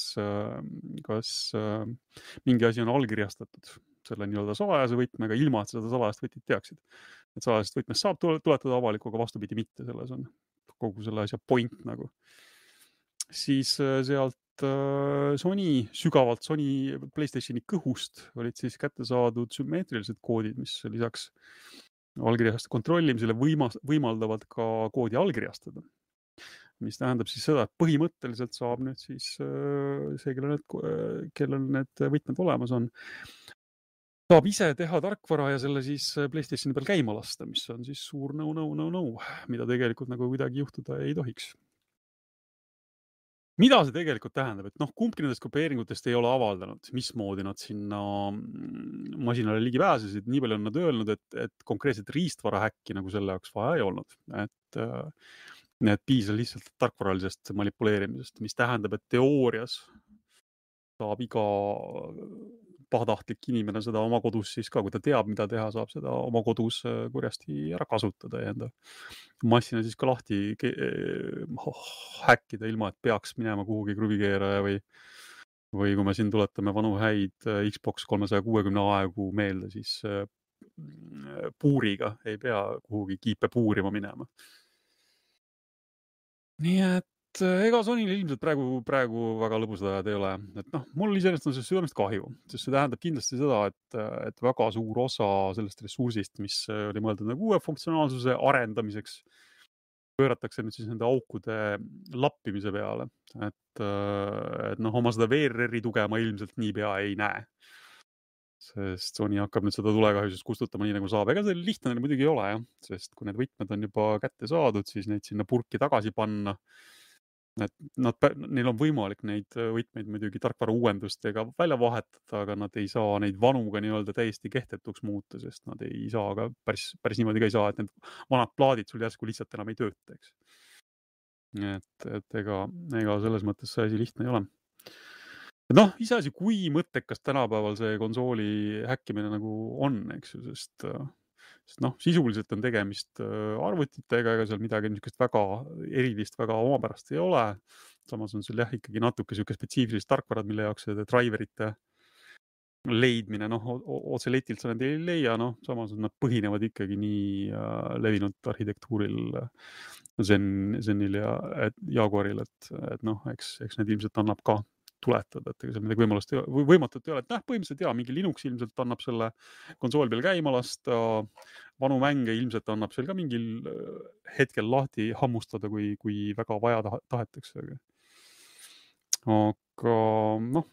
mingi asi on allkirjastatud selle nii-öelda salajase võtmega, ilma et seda salajast võtit teaksid. Et salajast võtmest saab tuletada avalikku, aga vastupidi mitte, selles on kogu selle asja point nagu. Siis sealt sügavalt Sony PlayStationi kõhust olid siis kätte saadud sümmeetrilised koodid, mis lisaks allkirjaste kontrollimisele võimaldavad ka koodi allkirjastada. Mis tähendab siis seda, et põhimõtteliselt saab nüüd siis see, kellel need võtmed olemas on, saab ise teha tarkvara ja selle siis PlayStationi peal käima lasta, mis on siis suur no, mida tegelikult nagu kuidagi juhtuda ei tohiks. Mida see tegelikult tähendab, et kumbki nendest kopeeringutest ei ole avaldanud, mismoodi nad sinna masinale ligi pääsesid, nii palju on nad öelnud, et konkreetselt riistvara häkki nagu selle jaoks vaja ei olnud. Et piisab lihtsalt tarkvaralisest manipuleerimisest, mis tähendab, et teoorias saab iga pahatahtlik inimene seda oma kodus siis ka, kui ta teab, mida teha, saab seda oma kodus kurjasti ära kasutada ja enda massina siis ka lahti häkkida, ilma et peaks minema kuhugi kruvikeeraja või kui me siin tuletame vanu häid Xbox 360 aegu meelde, siis puuriga ei pea kuhugi kiipe puurima minema. Nii et ega Sonyl ilmselt praegu väga lõbusad ajad ei ole. Et noh, mul iseenesest on see südamest kahju, sest see tähendab kindlasti seda, et väga suur osa sellest ressursist, mis oli mõeldud nagu uue funktsionaalsuse arendamiseks, pööratakse nüüd siis nende aukude lappimise peale. Et noh, oma seda VRR-i tuge ma ilmselt niipea ei näe. Sest Sony hakkab nüüd seda tulekahjusest kustutama nii nagu saab. Ega see lihtne muidugi ei ole, jah. Sest kui need võtmed on juba kätte saadud, siis neid sinna purki tagasi panna. Neil on võimalik neid võtmeid muidugi tarkvara uuendustega välja vahetada, aga nad ei saa neid vanuga nii-öelda täiesti kehtetuks muuta, sest nad ei saa ka päris niimoodi ka ei saa, et need vanad plaadid sul järsku lihtsalt enam ei tööta, eks. Et ega selles mõttes see asi lihtne ei ole. Noh, iseasi, kui mõttekas tänapäeval see konsooli häkkimine nagu on, eks ju, sest noh, sisuliselt on tegemist arvutitega, ega seal midagi niisugust väga erilist, väga omapärast ei ole. Samas on sul jah ikkagi natuke siuke spetsiifilist tarkvarad, mille jaoks see driverite leidmine, noh, otse letilt sa need ei leia, noh, samas nad põhinevad ikkagi nii levinud arhitektuuril Zenil ja Jaguaril, et noh, eks need ilmselt annab ka tuletada, et ega seal midagi võimatut ei ole. Et põhimõtteliselt mingi Linux ilmselt annab selle konsool peal käima lasta, vanu mänge ilmselt annab seal ka mingil hetkel lahti hammustada, kui väga vaja tahetakse. Aga noh,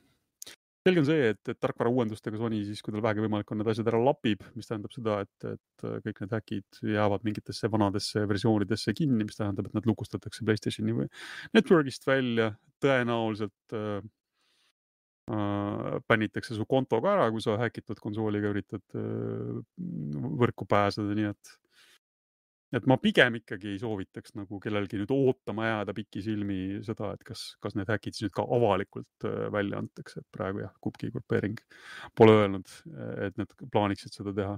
selge on see, et tarkvara uuendustega Sony siis, kui tal vähegi võimalik on, need asjad ära lapib, mis tähendab seda, et kõik need häkid jäävad mingitesse vanadesse versioonidesse kinni, mis tähendab, et nad lukustatakse PlayStationi või Networkist välja, tõenäoliselt pännitakse su konto ka ära, kui sa häkitud konsooliga üritad võrku pääseda, nii et ma pigem ikkagi ei soovitaks nagu kellelgi nüüd ootama jääda pikisilmi seda, et kas need häkid siis nüüd ka avalikult välja antakse, et praegu jah, Kubki grupeering pole öelnud, et need plaaniksid seda teha.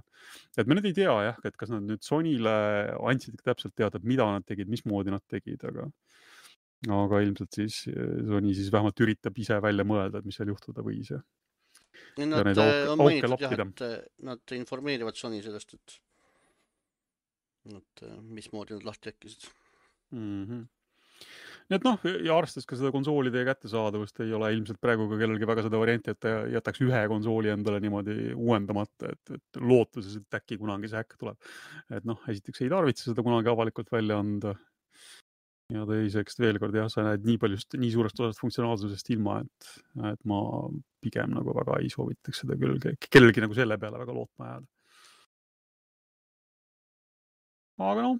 Et me nüüd ei tea jah, et kas nad nüüd Sonyle andsid täpselt teada, mida nad tegid, mismoodi nad tegid, aga ilmselt siis Sony siis vähemalt üritab ise välja mõelda, et mis seal juhtuda võis. Nad on mainitud jah, et nad informeerivad Sony sellest, et mismoodi nad lahti äkkisid. Nii et noh, ja arvestades ka seda konsoolide kättesaadavust ei ole ilmselt praegu ka kellelgi väga seda varianti, et ta jätaks ühe konsooli endale niimoodi uuendamata, et lootuses, et äkki kunagi see häkk tuleb. Et noh, esiteks ei tarvitse seda kunagi avalikult välja anda. Ja teiseks veel kord jah, sa näed nii suurest osast funktsionaalsusest ilma, et ma pigem nagu väga ei soovitaks seda kellelgi nagu selle peale väga lootma jääda. Aga noh,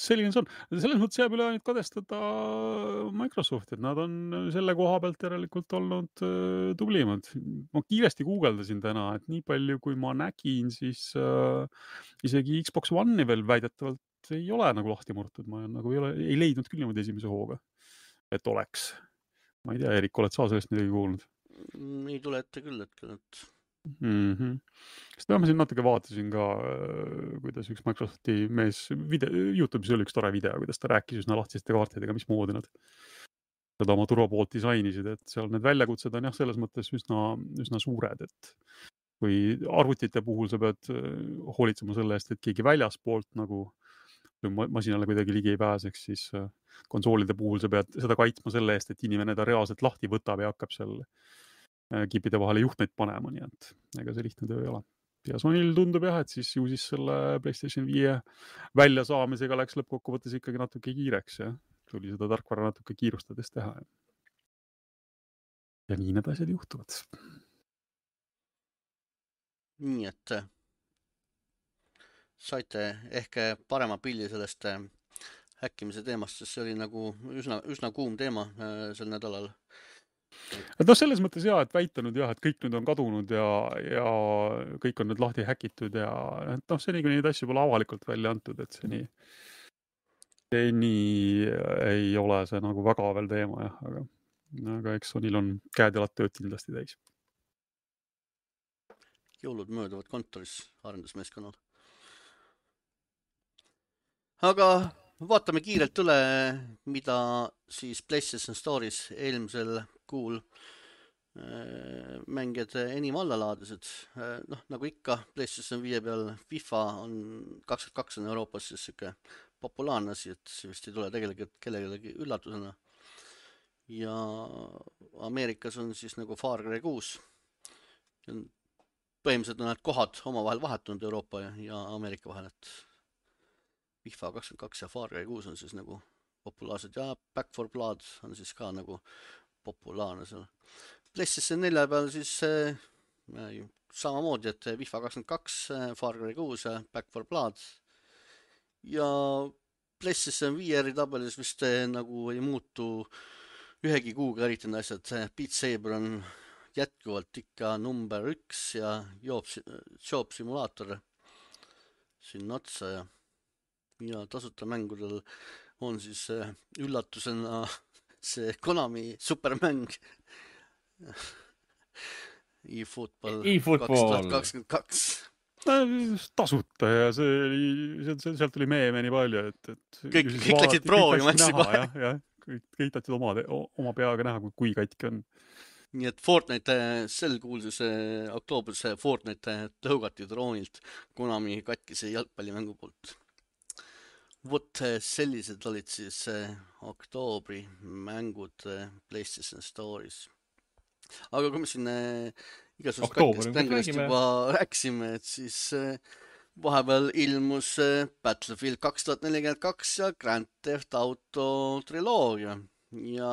selline see on. Selles mõttes jääb üle ainult kadestada Microsofti, et nad on selle koha pealt järelikult olnud tublimad. Ma kiiresti guugeldasin täna, et nii palju kui ma nägin, siis isegi Xbox One'i veel väidetavalt ei ole nagu lahti murtud. Ma nagu ei leidnud küll niimoodi esimese hooga, et oleks. Ma ei tea, Erik, oled sa sellest midagi kuulnud? Ei tule ette küll hetkel, et... Sest ma siin natuke vaatasin ka, kuidas üks Microsofti mees YouTube'is oli üks tore video, kuidas ta rääkis üsna lahtiste kaartidega, mismoodi nad seda oma turvapoolt disainisid, et seal need väljakutsed on jah, selles mõttes üsna suured, et kui arvutite puhul sa pead hoolitsema selle eest, et keegi väljaspoolt nagu masinale kuidagi ligi ei pääseks, siis konsoolide puhul sa pead seda kaitsma selle eest, et inimene ta reaalselt lahti võtab ja hakkab seal kipide vahele juhtmeid panema, nii et ega see lihtne töö ei ole. Ja Sonyl tundub jah, et siis ju siis selle PlayStation 5 väljasaamisega läks lõppkokkuvõttes ikkagi natuke kiireks ja tuli seda tarkvara natuke kiirustades teha. Ja nii need asjad juhtuvad. Nii et saite ehk parema pilli sellest häkkimise teemast, sest see oli nagu üsna kuum teema sel nädalal. Et noh, selles mõttes jah, et väitanud jah, et kõik nüüd on kadunud ja kõik on nüüd lahti häkitud ja et noh, seni kui neid asju pole avalikult välja antud, et seni ei ole see nagu väga veel teema jah, aga eks Sonyl on käed jalad tööd kindlasti täis. jõulud mööduvad kontoris arendusmeeskonnal. Aga vaatame kiirelt üle, mida siis PlayStation Store'is eelmisel kuul mängijad enim alla laadisid. Nagu ikka PlayStation 5 peal FIFA on 22 on Euroopas siis siuke populaarne asi, et see vist ei tule tegelikult kellelegi üllatusena. Ja Ameerikas on siis nagu Far Cry 6. Põhimõtteliselt on need kohad omavahel vahetunud Euroopa ja Ameerika vahel, et FIFA 22 ja Far Cry 6 on siis nagu populaarsed ja Back 4 Blood on siis ka nagu populaarne seal. PlayStation 4 peal siis samamoodi, et FIFA 22, Far Cry 6 ja Back 4 Blood. Ja PlayStation VR tabelis vist nagu ei muutu ühegi kuuga eriti asjad. Beat Saber on jätkuvalt ikka number 1 ja Job Simulaator sinna otsa ja tasuta mängudel on siis üllatusena see Konami supermäng eFootball 2022. Tasuta ja sealt tuli meeme nii palju, et kõik läksid proovima, kõik tahtsid oma peaga näha, kui katki on. Nii et Fortnite sel kuul siis oktoobris Fortnite tõugati droonilt Konami katkise jalgpallimängu poolt. Vot sellised olid siis oktoobri mängud PlayStation Store'is. Aga kui me siin igasugust katkest mängudest juba rääkisime, et siis vahepeal ilmus Battlefield 2042 ja Grand Theft Auto triloogia ja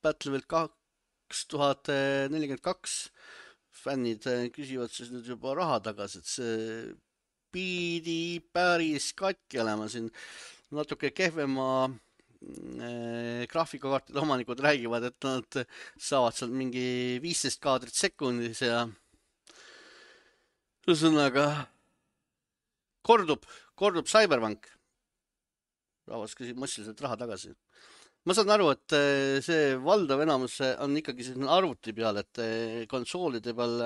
Battlefield 2042 fännid küsivad siis nüüd juba raha tagasi, et see pidi päris katki olema siin natuke kehvema graafikakaartide omanikud räägivad, et nad saavad seal mingi 15 kaadrit sekundis ja ühesõnaga kordub Cyberpunk. Rahvas küsib massiliselt raha tagasi. Ma saan aru, et see valdav enamus on ikkagi arvuti peal, et konsoolide peal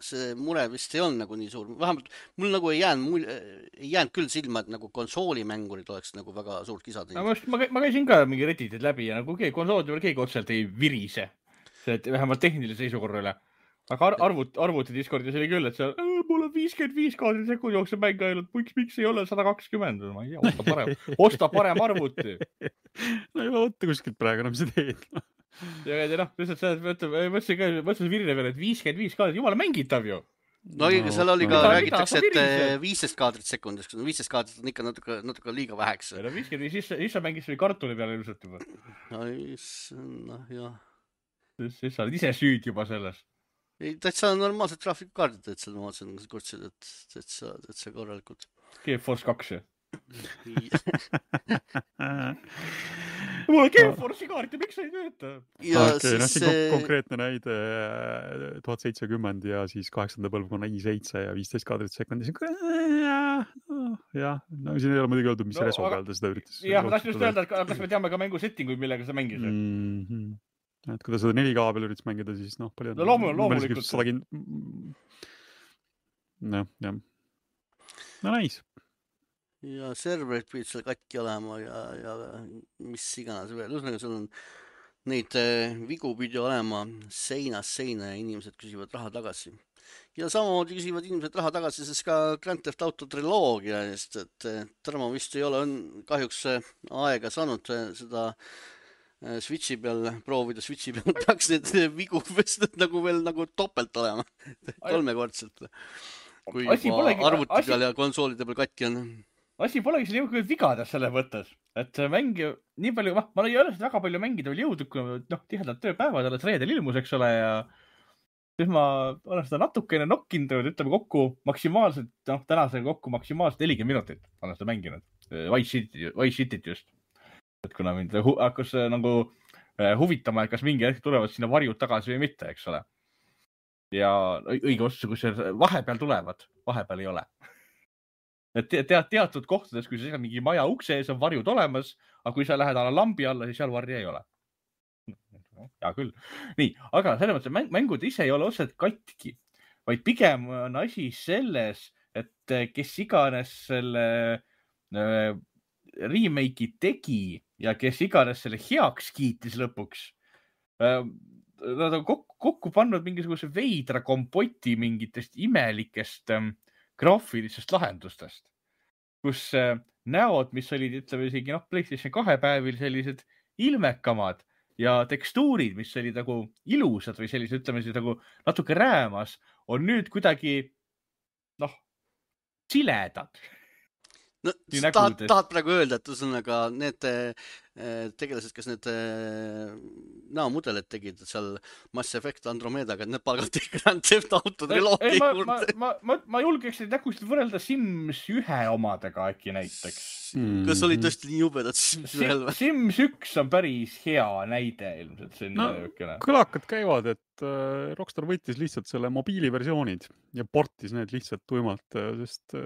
see mure vist ei olnud nagu nii suur. Vähemalt mul nagu ei jäänud küll silma, et nagu konsoolimängurid oleks nagu väga suurt kisa teinud. Ma käisin ka mingi Redditid läbi ja nagu konsoolide peal keegi otseselt ei virise. Vähemalt tehnilise seisukorra üle. Aga arvuti Discordis oli küll, et seal mul on 55 kaadri sekund jookseb mäng ainult, miks ei ole 120? Ma ei tea, osta parem arvuti. No juba võtta kuskilt praegu enam see teed. Ja lihtsalt see, mõtlesin virine peale, et 55 kaadrit, jumala mängitav ju. No seal oli ka, räägitakse, et 15 kaadrit sekundis, 15 kaadrit on ikka natuke liiga väheks. 55, siis sa mängis või kartuli peale ilmselt juba. No jah. Siis sa oled ise süüd juba selles. Ei, täitsa normaalsed graafikakaardid, et seal ma vaatasin, kurtsid, et see korralikult. GeForce 2, Mul on GeForce'i kaart ja miks sa ei tööta? Okei, siin konkreetne näide 1070 ja siis 8. põlvkonna i7 ja 15 kaadrit sekundis. Jah, no siin ei ole muidugi öeldud, mis reso peal ta seda üritas. Jah, ma tahtsin just öelda, et kas me teame ka mängu settinguid, millega sa mängisid. Et kui ta seda 4K peal üritas mängida, siis palju on. No loomulikult. Jah. No nice. Ja serverid pidid seal katki olema ja mis iganes veel. Ühesõnaga, seal on neid vigu pidi olema seinast seina ja inimesed küsivad raha tagasi. Ja samamoodi küsivad inimesed raha tagasi, sest ka Grand Theft Auto triloogia eest, et Tarmo vist ei ole kahjuks aega saanud seda Switchi peal proovida. Switchi peal peaks need vigu nagu veel nagu topelt olema, 3-kordselt. Kui arvuti peal ja konsoolide peal katki on. Asi polegi siin jõudnud vigades selle mõttes, et mäng nii palju, ma ei ole väga palju mängida veel jõudnud, kui tihedalt tööpäevad alles reedel ilmus, eks ole, ja siis ma olen seda natukene nokkinud, ütleme kokku maksimaalselt, tänasega kokku maksimaalselt 40 minutit olen seda mänginud. Vice Cityt just. Et kuna mind hakkas nagu huvitama, et kas mingi hetk tulevad sinna varjud tagasi või mitte, eks ole. Ja õige otsus, kui see vahepeal tulevad, vahepeal ei ole. Et teatud kohtades, kui sa mingi maja ukse ees on varjud olemas, aga kui sa lähed lambi alla, siis seal varja ei ole. Hea küll. Nii, aga selles mõttes mängud ise ei ole otseselt katki. vaid pigem on asi selles, et kes iganes selle remake'i tegi ja kes iganes selle heaks kiitis lõpuks, nad on kokku pannud mingisuguse veidra kompoti mingitest imelikest graafilistest lahendustest, kus näod, mis olid, ütleme isegi PlayStation 2 päevil sellised ilmekamad ja tekstuurid, mis olid nagu ilusad või sellised, ütleme siis nagu natuke räämas, on nüüd kuidagi siledad. No, tahad praegu öelda, et ühesõnaga need tegelased, kes need näomudelid tegid seal Mass Effect Andromedaga, et need palgati Grand Theft Auto triloogia juurde. Ma julgeks neid nägusid võrrelda Sims 1 omadega äkki näiteks. Kas oli tõesti nii jubedad Sims 1? Sims 1 on päris hea näide ilmselt. Kõlakad käivad, et Rockstar võttis lihtsalt selle mobiiliversioonid ja portis need lihtsalt tuimalt, sest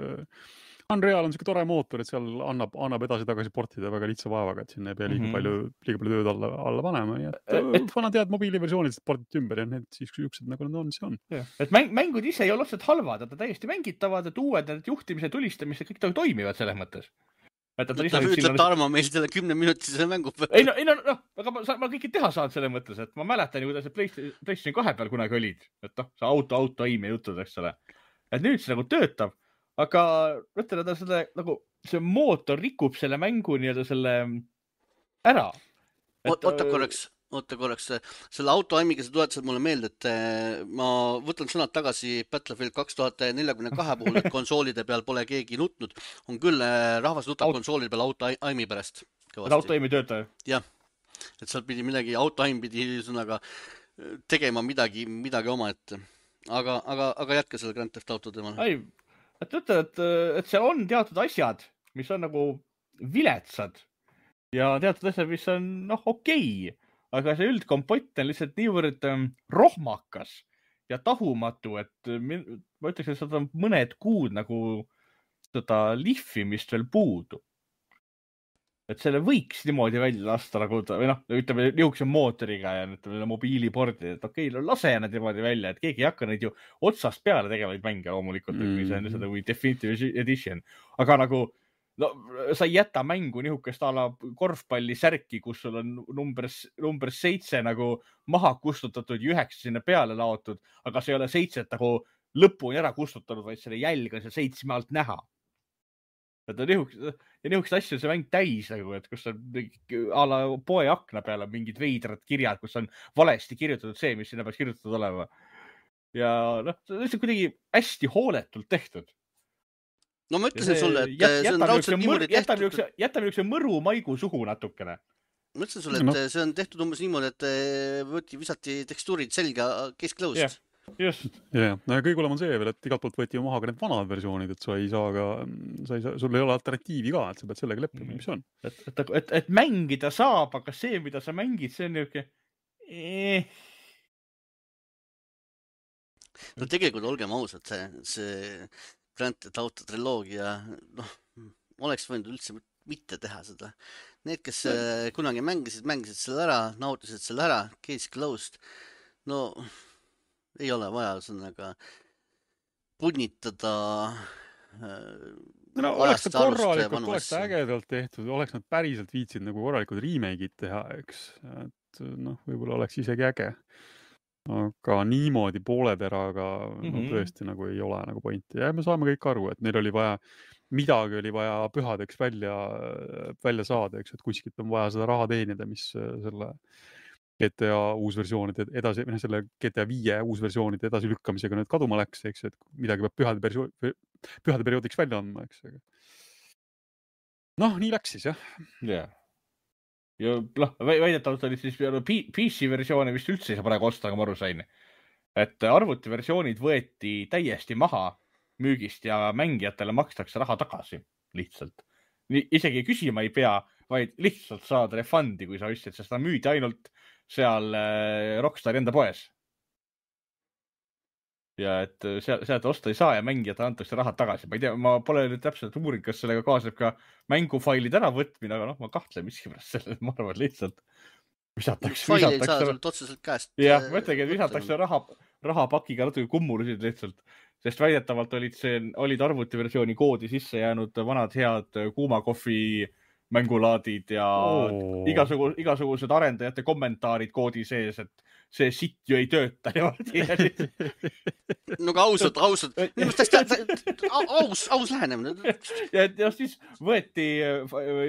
Unreal on siuke tore mootor, et seal annab edasi-tagasi portida väga lihtsa vaevaga, et sinna ei pea liiga palju tööd alla panema. Vanad head mobiiliversioonid portid ümber ja need siis üksid nagu nad on, see on. Et mängud ise ei ole otseselt halvad, et nad täiesti mängitavad, et uued juhtimise, tulistamise, kõik toimivad selles mõttes. Ütleb Tarmo meil selle 10-minutise mängu peal. Ei, aga ma kõike teha saan selles mõttes, et ma mäletan ju, kuidas PlayStation 2 peal kunagi olid. Et see auto aim ja jutud, eks ole. Et nüüd see nagu töötab. Aga mõtlen, et see mootor rikub selle mängu nii-öelda selle ära. Oota korraks. Selle autoaimiga sa tuletasid mulle meelde, et ma võtan sõnad tagasi Battlefield 2042 puhul, et konsoolide peal pole keegi nutnud. On küll rahvas nutab konsoolide peal autoaimi pärast. Autoaimi töötaja? Jah. Et seal pidi midagi, autoaim pidi sõnaga tegema midagi oma ette. Aga jätka selle Grand Theft Auto teemal. Ei. Et ütled, et seal on teatud asjad, mis on nagu viletsad ja teatud asjad, mis on okei, aga see üldkompott on lihtsalt niivõrd rohmakas ja tahumatu, et ma ütleks, et seda on mõned kuud nagu seda lihvimist veel puudu. Et selle võiks niimoodi välja lasta nagu, või ütleme, niisuguse mootoriga ja ütleme, mobiilipordi, et okei, lase nad niimoodi välja, et keegi ei hakka neid ju otsast peale tegevaid mänge loomulikult, mis on seda või Definitive Edition. Aga nagu, sa ei jäta mängu niisugust ala korvpalli särki, kus sul on number 7 nagu maha kustutatud ja 9 sinna peale laotud, aga see ei ole 7 nagu lõpuni ära kustutanud, vaid selle jälg on seal 7 alt näha. Ja niisugust asju see mäng täis, et kus on ala poe akna peal on mingid veidrad kirjad, kus on valesti kirjutatud see, mis sinna peaks kirjutatud olema. Ja see on kuidagi hästi hooletult tehtud. No ma ütlesin sulle, et see on raudselt niimoodi tehtud. Jätab niisuguse mõru maigu suhu natukene. Ma ütlesin sulle, et see on tehtud umbes niimoodi, et visati tekstuurid selga kesklõust. Just. Ja kõige hullem on see veel, et igalt poolt võeti maha ka need vanad versioonid, et sa ei saa ka, sul ei ole alternatiivi ka, et sa pead sellega leppima, mis on. Et mängida saab, aga see, mida sa mängid, see on niisugune... No tegelikult olgem ausad, see Grand Theft Auto triloogia, oleks võinud üldse mitte teha seda. Need, kes kunagi mängisid selle ära, nautisid selle ära, case closed, ei ole vaja sõnaga punnitada oleks ta korralikult, oleks ta ägedalt tehtud, oleks nad päriselt viitsid nagu korralikud remake'id teha, eks. Et võib-olla oleks isegi äge. Aga niimoodi pooleteraga tõesti nagu ei ole nagu pointi. Ja me saame kõik aru, et neil oli vaja, midagi oli vaja pühadeks välja saada, eks, et kuskilt on vaja seda raha teenida, mis selle GTA uusversioonide edasi, selle GTA 5 uusversioonide edasi lükkamisega nüüd kaduma läks, eks, et midagi peab pühade perioodiks välja andma, eks. Nii läks siis, jah. Jah. Ja väidetavalt oli siis PC-versioone vist üldse ei saa praegu osta, aga ma aru sain. Et arvutiversioonid võeti täiesti maha müügist ja mängijatele makstakse raha tagasi lihtsalt. Isegi küsima ei pea, vaid lihtsalt saad refundi, kui sa ostsid, sest ta müüdi ainult seal Rockstari enda poes. Ja et sealt osta ei saa ja mängijad antakse rahad tagasi. Ma ei tea, ma pole nüüd täpselt uurin, kas sellega kaasneb ka mängufailid ära võtmine, aga ma kahtlen miskipärast selle, ma arvan lihtsalt visatakse. Faili ei saa sul otseselt käest. Jah, mõtlegi, et visatakse rahapakiga natuke kummulusid lihtsalt, sest väidetavalt olid arvutiversiooni koodi sisse jäänud vanad head kuuma kohvi mängulaadid ja igasugused arendajate kommentaarid koodi sees, et see sitt ju ei tööta. No aga ausalt. Aus lähenemine. Ja siis võeti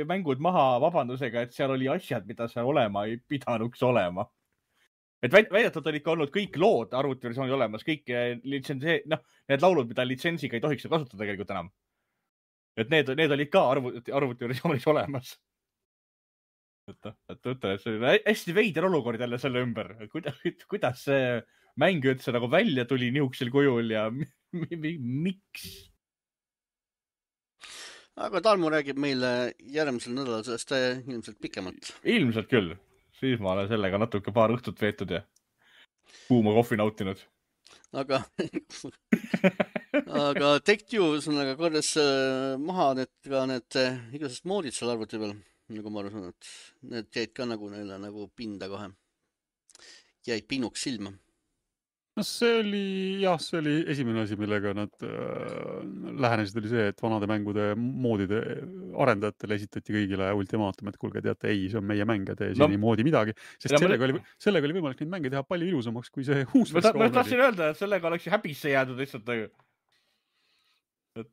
mängud maha vabandusega, et seal oli asjad, mida seal olema ei pidanuks olema. Et väidetavalt oli ikka olnud kõik lood arvutiversiooni olemas, kõik need laulud, mida litsensiga ei tohiks kasutada tegelikult enam. Et need olid ka arvutiversioonis olemas. Et see oli hästi veider olukord jälle selle ümber. Kuidas see mäng üldse nagu välja tuli nihukesel kujul ja miks? Aga Tarmo räägib meile järgmisel nädalal sellest ilmselt pikemalt. Ilmselt küll. Siis ma olen sellega natuke paar õhtut veetud ja kuuma kohvi nautinud. Aga Take-Two kordas maha need igasest moodid seal arvuti peal, nagu ma aru saan, et need jäid ka neile nagu pinda kohe. Jäid pinuks silma. No see oli esimene asi, millega nad lähenesid, oli see, et vanade mängude moodide arendajatele esitati kõigile ultimaatum, et kuulge, teate, ei, see on meie mäng ja tee siin ei moodi midagi, sest sellega oli võimalik neid mänge teha palju ilusamaks, kui see uus versioon oli. Ma tahtsin öelda, et sellega oleks häbisse jäädud lihtsalt. Et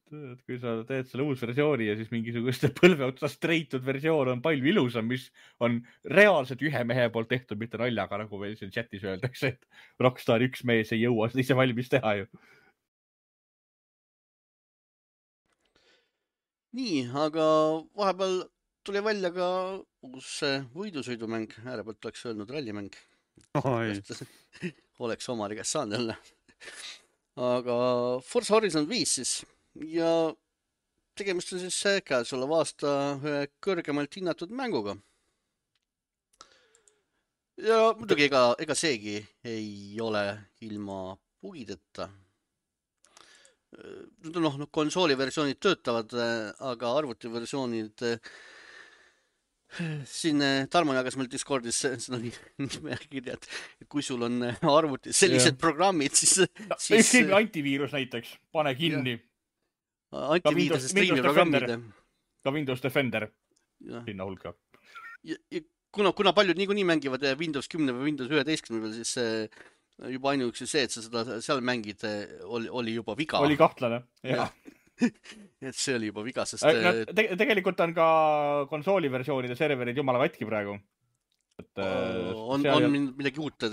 kui sa teed selle uus versiooni ja siis mingisugust põlve otsast treitud versioon on palju ilusam, mis on reaalselt ühe mehe poolt tehtud, mitte naljaga, nagu meil siin chatis öeldakse, et Rockstar üks mees ei jõua seda ise valmis teha ju. Nii, aga vahepeal tuli välja ka uus võidusõidumäng, äärepealt oleks öelnud rallimäng. Oleks omari käest saanud jälle. Aga Forza Horizon 5 siis. Ja tegemist on siis käesoleva aasta kõrgemalt hinnatud mänguga. Ja muidugi ega seegi ei ole ilma bugideta. Konsooliversioonid töötavad, aga arvutiversioonid siin Tarmo jagas meil Discordis nimekirja, et kui sul on arvutis sellised programmid, siis... Antiviirus näiteks, pane kinni. Antiviiruse striimiprogrammid. Ka Windows Defender. Sinna hulka. Kuna paljud niikuinii mängivad Windows 10 või Windows 11 peal, siis juba ainuüksi see, et sa seda seal mängid, oli juba viga. Oli kahtlane, jah. Et see oli juba viga, sest... Tegelikult on ka konsooliversioonide serverid jumala katki praegu. On midagi uut,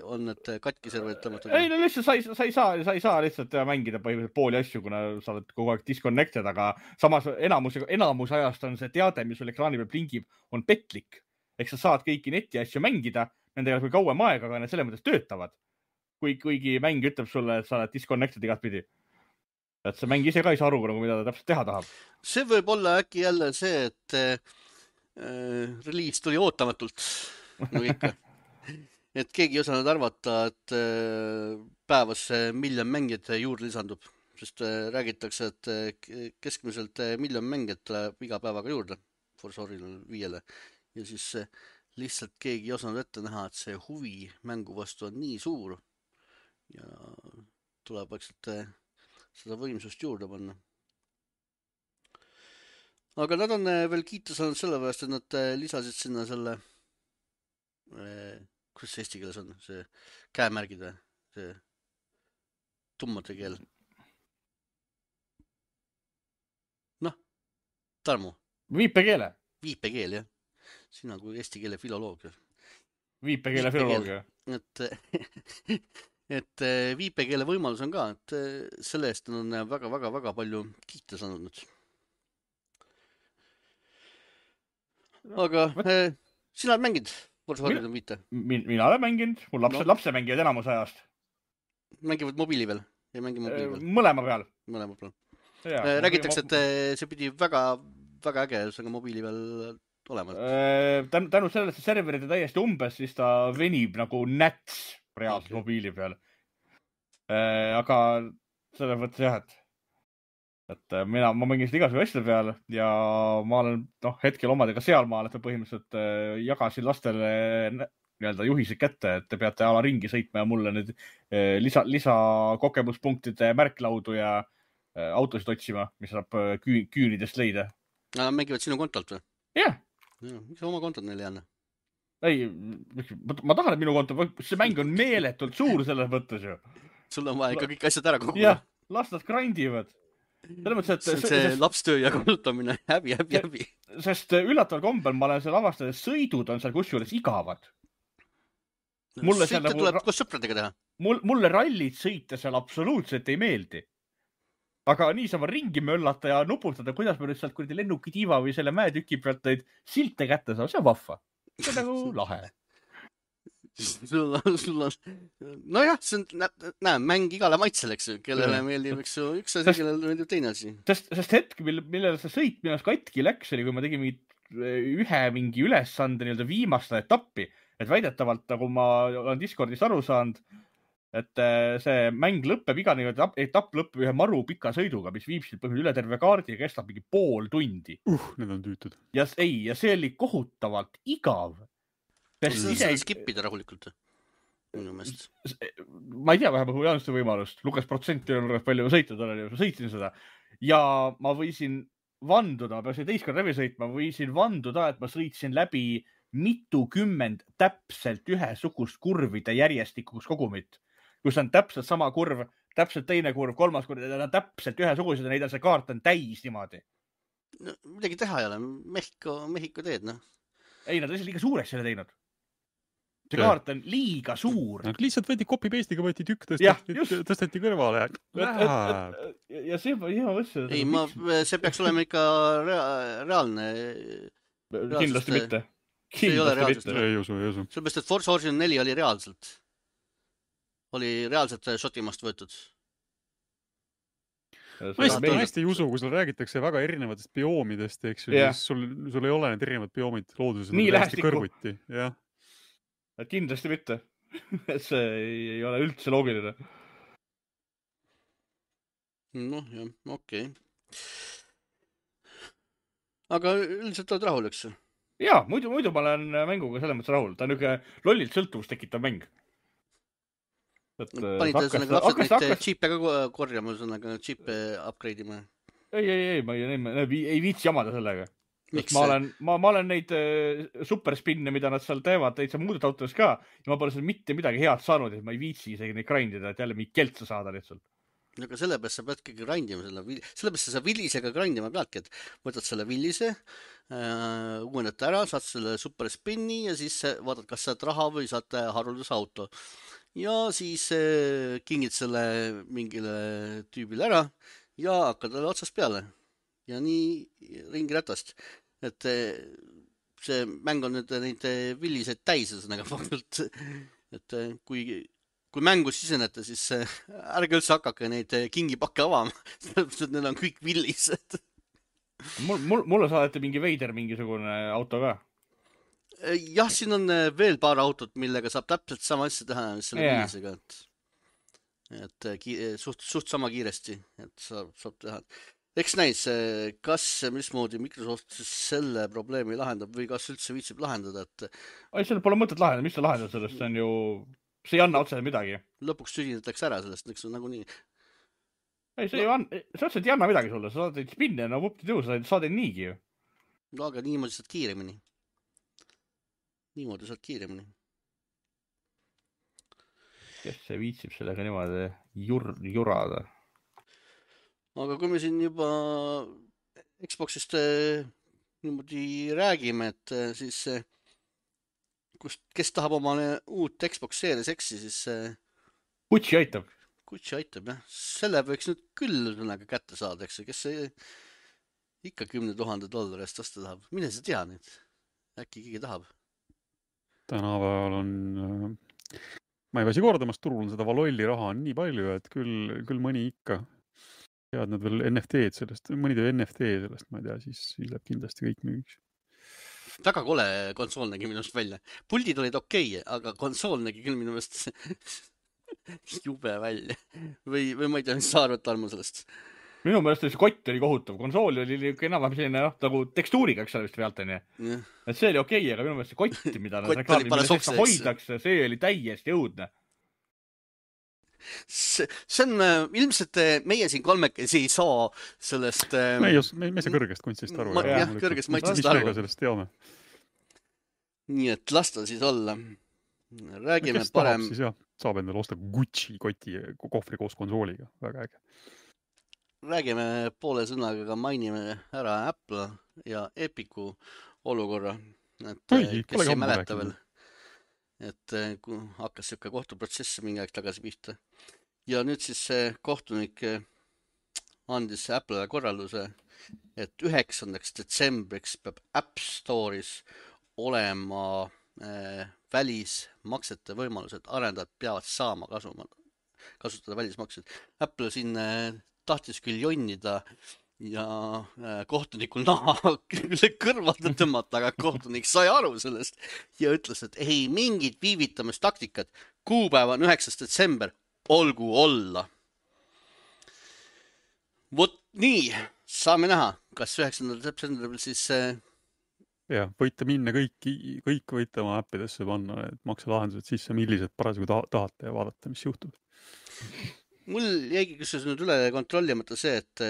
on need katki serverid tõmmatud? Ei, no lihtsalt sa ei saa lihtsalt mängida põhimõtteliselt pooli asju, kuna sa oled kogu aeg disconnected, aga samas enamus ajast on see teade, mis sul ekraani peal plingib, on petlik. Eks sa saad kõiki neti asju mängida, nendega kui kauem aega, aga need selle mõttes töötavad. Kuigi mäng ütleb sulle, et sa oled disconnected igat pidi. Et see mäng ise ka ei saa aru, mida ta täpselt teha tahab. See võib olla äkki jälle see, et reliis tuli ootamatult, nagu ikka. Et keegi ei osanud arvata, et päevas 1 miljon mängijat juurde lisandub, sest räägitakse, et keskmiselt 1 miljon mängijat tuleb iga päevaga juurde Forza Horizon 5-le. Ja siis lihtsalt keegi ei osanud ette näha, et see huvi mängu vastu on nii suur ja tuleb seda võimsust juurde panna. Aga nad on veel kiita saanud selle pärast, et nad lisasid sinna selle, kuidas see eesti keeles on, see käemärgid või, see tummade keel. Noh, Tarmo. Viipekeele. Viipekeel, jah. Sina kui eesti keele filoloogia. Viipekeele filoloogia. Et viipekeele võimalus on ka, et selle eest on väga palju kiita saanud nüüd. Aga sina oled mänginud Forza Horizon 5? Mina olen mänginud, mul lapse mängivad enamus ajast. Mängivad mobiili peal? Ei mängi mobiili peal? Mõlema peal. Mõlema peal. Räägitakse, et see pidi väga äge mobiili peal olema. Tänu sellele, et serverid on täiesti umbes, siis ta venib nagu näts reaalselt mobiili peal. Aga selle mõttes jah, et ma mängin seda igasuguse asjade peal ja ma olen hetkel omadega sealmaal, et ma põhimõtteliselt jagasin lastele nii-öelda juhised kätte, et te peate ala ringi sõitma ja mulle nüüd lisa kogemuspunktide märklaudu ja autosid otsima, mis saab küünidest leida. Nad mängivad sinu kontolt või? Jah. Miks oma kontot neile ei anna? Ei, ma tahan, et minu konto, see mäng on meeletult suur selles mõttes ju. Sul on vaja ikka kõik asjad ära koguda. Jah, las nad grindivad. See on see lapstöö ja kulutamine, häbi. Sest üllataval kombel ma olen seal avastanud, sõidud on seal kusjuures igavad. Sõita tuleb koos sõpradega teha. Mulle rallid sõita seal absoluutselt ei meeldi. Aga niisama ringi möllata ja nuputada, kuidas me nüüd sealt kuradi lennukitiiva või selle mäetüki pealt neid silte kätte saab, see on vahva. See on nagu lahe. Sul on... Nojah, see on mäng igale maitsele, eks ju, kellele meeldib, eks ju, üks asi, kellele meeldib teine asi. Sest hetk, millele see sõit minust katki läks, oli, kui ma tegin ühe mingi ülesande nii-öelda viimast etappi, et väidetavalt, nagu ma olen Discordist aru saanud, et see mäng lõpeb, iga etapp lõpeb ühe maru pika sõiduga, mis viib siit üle terve kaardi ja kestab mingi pool tundi. Need on tüütud. Ja see oli kohutavalt igav. Sa skipida rahulikult. Minu meelest. Ma ei tea, vähemalt mul ei olnud seda võimalust. Lukas protsenti on palju sõitnud, ma sõitsin seda. Ja ma võisin vanduda, ma peaksin teist kord läbi sõitma, võisin vanduda, et ma sõitsin läbi mitukümmend täpselt ühesugust kurvide järjestikuks kogumit. Kus on täpselt sama kurv, täpselt teine kurv, kolmas kurv, need on täpselt ühesugused ja neid on see kaart on täis niimoodi. No, midagi teha ei ole. Mehhiko teed, noh. Ei, nad on liiga suureks selle teinud. See kaart on liiga suur. Lihtsalt võeti copy-paste'iga, võeti tükk, tõsteti kõrvale. Ja see ma mõtlesin. Ei, see peaks olema ikka reaalne. Kindlasti mitte. See ei ole reaalselt. Ei usu. Sellepärast, et Forza Horizon 4 oli reaalselt. Oli reaalselt Šotimaast võetud. Ma hästi ei usu, kui sul räägitakse väga erinevatest bioomidest, eks ju, siis sul ei ole need erinevad bioomid looduses. Nii lähestikku. Kõrvuti, jah. Kindlasti mitte. See ei ole üldse loogiline. Noh, jah, okei. Aga üldiselt oled rahul, eks? Jaa, muidu ma olen mänguga selles mõttes rahul. Ta on niisugune lollilt sõltuvust tekitav mäng. Panid lapsed neid džiipe ka korjama, džiipe upgrade ima? Ei, ma ei viitsi jamada sellega. Ma olen neid superspinne, mida nad seal teevad, neid saab muudud autodes ka ja ma pole seal mitte midagi head saanud, et ma ei viitsi isegi neid grindida, et jälle mingi keltsa saada lihtsalt. Aga sellepärast sa peadki grindima sellepärast sa villisega grindima peadki, et võtad selle villise, uuendad ära, saad selle superspinni ja siis vaatad, kas saad raha või saad harulduse auto. Ja siis kingid selle mingile tüübile ära ja hakkad talle otsast peale. Ja nii ringi ratast. Et see mäng on nüüd neid villiseid täis, et kui mängu sisenete, siis ärge üldse hakake neid kingipakke avama, sellepärast, et need on kõik villised. Mulle saadeti mingisugune auto ka. Jah, siin on veel paar autot, millega saab täpselt sama asja teha, mis selle villisega. Et suht sama kiiresti, et saab teha. Eks näis, mismoodi Microsoft selle probleemi lahendab või kas üldse viitsib lahendada, et... Ei, selle pole mõtet lahendada, mis sa lahendad sellest, see on ju... See ei anna otseselt midagi. Lõpuks tüdinetakse ära sellest, eks on nagu nii. Ei, see otseselt ei anna midagi sulle, sa saad neid spinne, no võpti sa saad neid niigi ju. No, aga niimoodi saad kiiremini. Kes see viitsib sellega niimoodi jurada? Aga kui me siin juba Xboxist niimoodi räägime, et siis kes tahab omale uut Xbox Series X-i, siis Kutsi aitab, jah. Selle võiks nüüd küll kätte saada, eks, kes ikka $10,000 eest osta tahab. Mine sa tea nüüd? Äkki keegi tahab? Tänapäeval on... Ma ei väsi kordamast, turul on seda valolli raha on nii palju, et küll mõni ikka. Tead nad veel NFT-d sellest, mõni teeb NFT sellest, ma ei tea, siis läheb kindlasti kõik müügiks. Väga kole konsool nägi minust välja. Puldid olid okei, aga konsool nägi küll minu meelest jube välja. Või ma ei tea, mis sa arvad, Tarmo, sellest? minu meelest see kott oli kohutav, konsool oli enam-vähem selline nagu tekstuuriga, eks ole vist pealt onju. Et see oli okei, aga minu meelest see kott, mida nad reklaami, mida seda hoidakse, see oli täiesti õudne. See on ilmselt meie siin kolmekesi ei saa sellest... Me ei saa kõrgest kunstist aru. Jah, kõrgest maitsest aru. Mis me ka sellest teame? Nii et lasta siis olla. Räägime kes parem... Tahab, siis jah, saab endale osta Gucci koti kohvri koos konsooliga. Väga äge. Räägime poole sõnaga, aga mainime ära Apple ja Epicu olukorra. Et kes ei mäleta veel. Et hakkas siuke kohtuprotsess mingi aeg tagasi pihta. Ja nüüd siis see kohtunik andis Apple'le korralduse, et 9. detsembriks peab App Store'is olema välismaksete võimalused. Arendajad peavad saama kasutada välismaksed. Apple siin tahtis küll jonnida ja kohtunikul naha kõrvalda tõmmata, aga kohtunik sai aru sellest ja ütles, et ei mingit viivitamistaktikat. Kuupäev on 9. detsember, olgu olla. Vot nii, saame näha, kas 9. detsembril siis... Ja, võite minna kõik võite oma äppidesse panna, et makselahendused sisse, millised parasjagu tahate ja vaadata, mis juhtub. Mul jäigi küsis nüüd üle kontrollimata see, et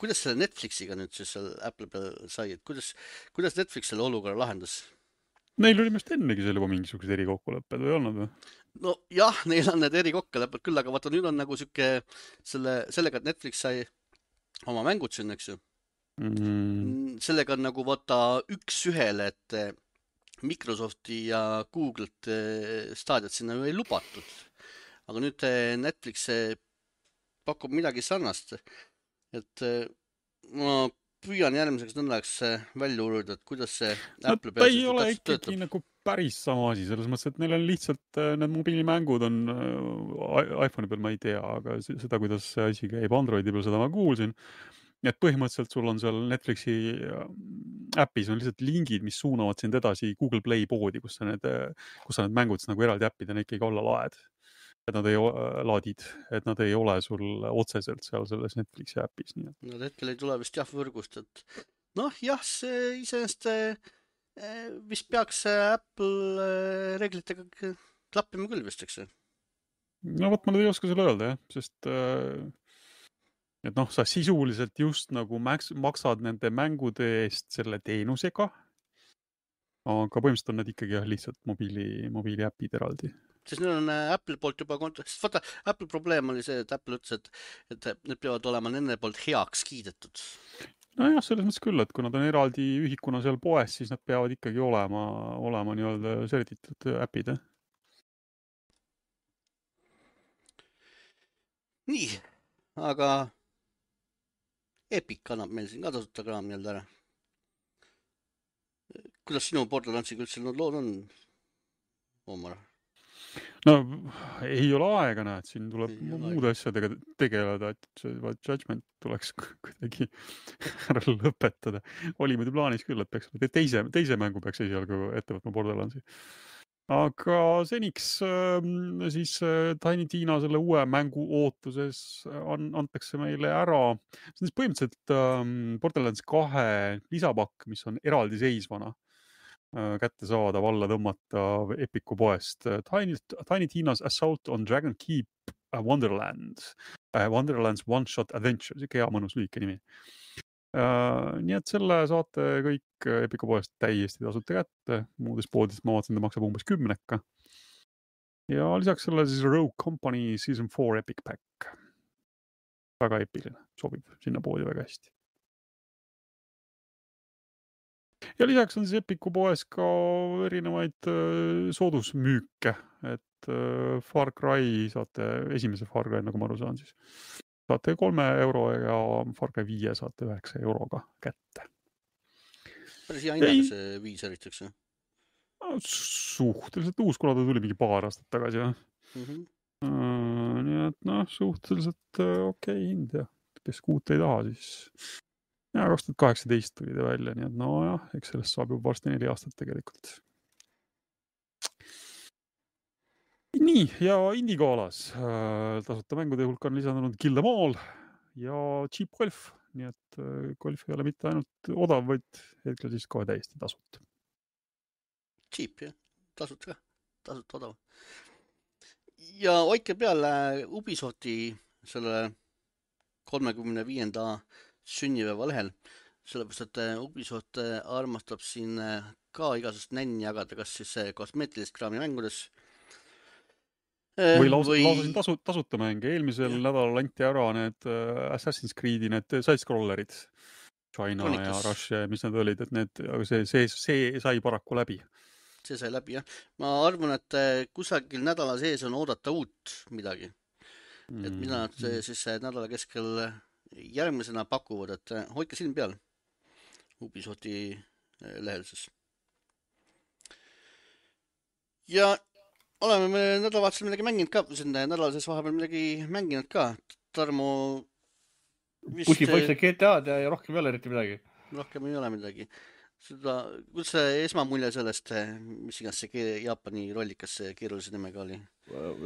kuidas selle Netflixiga nüüd siis seal Apple peal sai, et kuidas Netflix selle olukorra lahendas? Neil oli mest ennegi seal juba mingisugused erikokkulepped või olnud või? No jah, neil on need erikokkulepped küll, aga vaata nüüd on nagu siuke sellega, et Netflix sai oma mängud siin, eks ju. Sellega on nagu vaata üks ühele, et Microsofti ja Google't staadiat sinna ju ei lubatud. Aga nüüd Netflix pakub midagi sarnast, et ma püüan järgmiseks nõndaks välja uurida, et kuidas see Apple ta ei ole ikkagi nagu päris sama asi, selles mõttes, et neil on lihtsalt need mobiilimängud on iPhone'i peal, ma ei tea, aga seda, kuidas see asi käib Androidi peal, seda ma kuulsin. Et põhimõtteliselt sul on seal Netflixi äpis on lihtsalt lingid, mis suunavad sind edasi Google Play poodi, kus sa need mängud nagu eraldi äppidena ikkagi alla laed. Et nad ei laadid, et nad ei ole sul otseselt seal selles Netflixi äpis. Nad hetkel ei tule vist jah võrgust, et jah, see iseenesest vist peaks Apple reeglitega klappima küll vist, eks? No võt, ma ei oska selle öelda, jah, sest et sa sisuliselt just nagu maksad nende mängude eest selle teenusega, aga põhimõtteliselt on need ikkagi lihtsalt mobiili äpid eraldi. Siis neil on Apple poolt juba sest vaata, Apple probleem oli see, et Apple ütles, et need peavad olema nende poolt heaks kiidetud. Nojah, selles mõttes küll, et kui nad on eraldi ühikuna seal poes, siis nad peavad ikkagi olema nii-öelda sertitud äpid. Nii, aga Epic annab meil siin ka tasuta kraam nii-öelda ära. Kuidas sinu Borderlandsiga üldse need lood on, Omar? No ei ole aega, näed, siin tuleb muude asjadega tegeleda, et see Judgment tuleks kuidagi ära lõpetada. Oli muidu plaanis küll, et peaks teise mängu peaks esialgu ette võtma Borderlandsi. Aga seniks siis Tiny Tina selle uue mängu ootuses antakse meile ära. See on siis põhimõtteliselt Borderlands 2 lisapakk, mis on eraldi seisvana kätte saada, valla tõmmata Epicu poest. Tiny Tina's Assault on Dragon Keep Wonderlands One-Shot Adventure, see hea mõnus lühike nimi. Nii et selle saate kõik Epicu poest täiesti tasuta kätte. Muudes poodides ma vaatasin, ta maksab umbes 10. Ja lisaks selle siis Rogue Company Season 4 Epic Pack. Väga epiline, sobib sinna poodi väga hästi. Ja lisaks on siis Epicu poes ka erinevaid soodusmüüke, et Far Cry saate, esimese Far Cry, nagu ma aru saan siis, saate 3 € ja Far Cry 5 saate 9 € kätte. Päris hea hinnaga see 5 eritaks, jah? Suhteliselt uus, kuna ta tuli mingi paar aastat tagasi, jah. Nii et suhteliselt okei hind, jah. Kes kuut ei taha, siis... Ja 2018 tuli ta välja, nii et jah, eks sellest saab juba varsti 4 aastat tegelikult. Nii, ja Indigolas tasuta mängude hulk on lisandunud Kill Them All ja cheap golf, nii et golf ei ole mitte ainult odav, vaid hetkel siis kohe täiesti tasuta. Cheap, jah. Tasuta odav. Ja hoidke peale Ubisofti selle 35. sünnipäeva lehel, sellepärast, et Ubisoft armastab siin ka igasugust nänni jagada, kas siis kosmeetilist kraami mängudes. Või lausa siin tasuta mänge. Eelmisel nädalal anti ära need Assassin's Creed'i, need side-scrollerid, China Chronicles ja Russia, mis need olid, et aga see sai paraku läbi. See sai läbi, jah. Ma arvan, et kusagil nädala sees on oodata uut midagi. Et mida nad siis nädala keskel järgmisena pakuvad, et hoidke silm peal Ubisofti lehel siis. Ja oleme me nädalavahetusel midagi mänginud ka, nädala sees vahepeal midagi mänginud ka. Tarmo vist... Pusipoisse GTA-d ja rohkem ei ole eriti midagi. Rohkem ei ole midagi. Kuidas see esmamulje sellest, mis iganes see Jaapani rollikas keerulise nimega oli?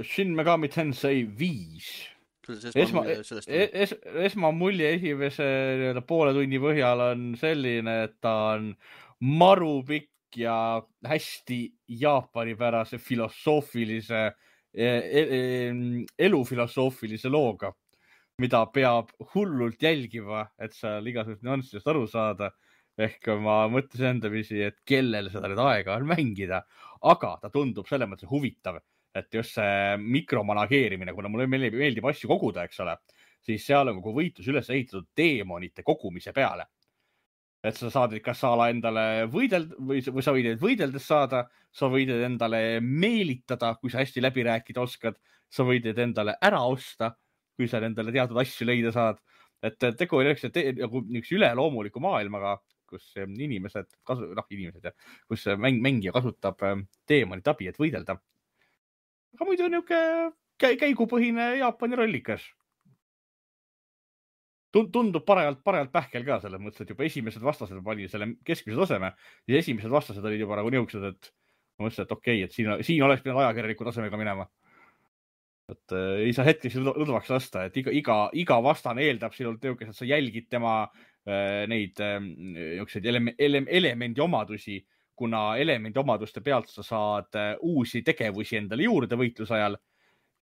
Shin Megami Tensei 5. Esmamulje esimese poole tunni põhjal on selline, et ta on maru pikk ja hästi jaapanipärase filosoofilise, elufilosoofilise looga, mida peab hullult jälgima, et seal igasugust nüanssidest aru saada. Ehk ma mõtlesin endamisi, et kellel seda nüüd aega on mängida, aga ta tundub selles mõttes huvitav, et just see mikromanageerimine, kuna mulle meeldib asju koguda, eks ole, siis seal on kogu võitlus üles ehitatud deemonite kogumise peale. Et sa saad kas saala endale võidelda või sa võid võideldes saada, sa võid endale meelitada, kui sa hästi läbi rääkida oskad, sa võid endale ära osta, kui sa endale teatud asju leida saad. Et tegu on üks üleloomuliku maailmaga, kus inimesed, kus mängija kasutab deemonit abi, et võidelda. Aga muidu on niisugune käigupõhine Jaapani rollikas. Tundub parajalt pähkel ka selles mõttes, et juba esimesed vastased oli selle keskmise taseme ja esimesed vastased olid juba nagu niisugused, et ma mõtlesin, et okei, et siin oleks pidanud ajakirjaniku tasemega minema. Et ei saa hetkeks lõdvaks lasta, et iga vastane eeldab sinult niisugused, et sa jälgid tema neid elemendi omadusi, kuna elemendi omaduste pealt sa saad uusi tegevusi endale juurde võitluse ajal.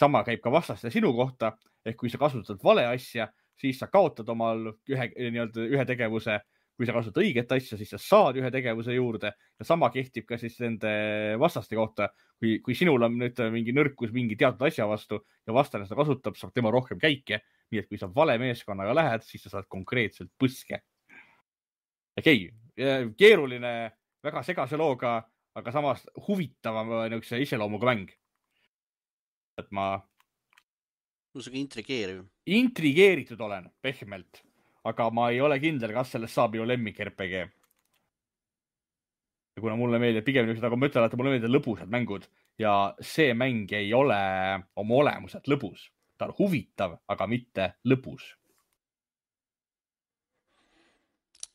Sama käib ka vastaste sinu kohta, ehk kui sa kasutad vale asja, siis sa kaotad omal ühe tegevuse. Kui sa kasutad õiget asja, siis sa saad ühe tegevuse juurde ja sama kehtib ka siis nende vastaste kohta. Kui sinul on nüüd mingi nõrkus mingi teatud asja vastu ja vastane seda kasutab, saab tema rohkem käike. Nii et kui sa vale meeskonnaga lähed, siis sa saad konkreetselt põske. Okei, keeruline, väga segase looga, aga samas huvitava iseloomuga mäng. Et ma... Intrigeeritud olen, pehmelt. Aga ma ei ole kindel, kas sellest saab ju lemmik RPG. Ja kuna mulle meeldib pigem niisugused, aga ma ütlen, et mulle meeldib lõbusad mängud ja see mäng ei ole oma olemuselt lõbus. Ta on huvitav, aga mitte lõbus.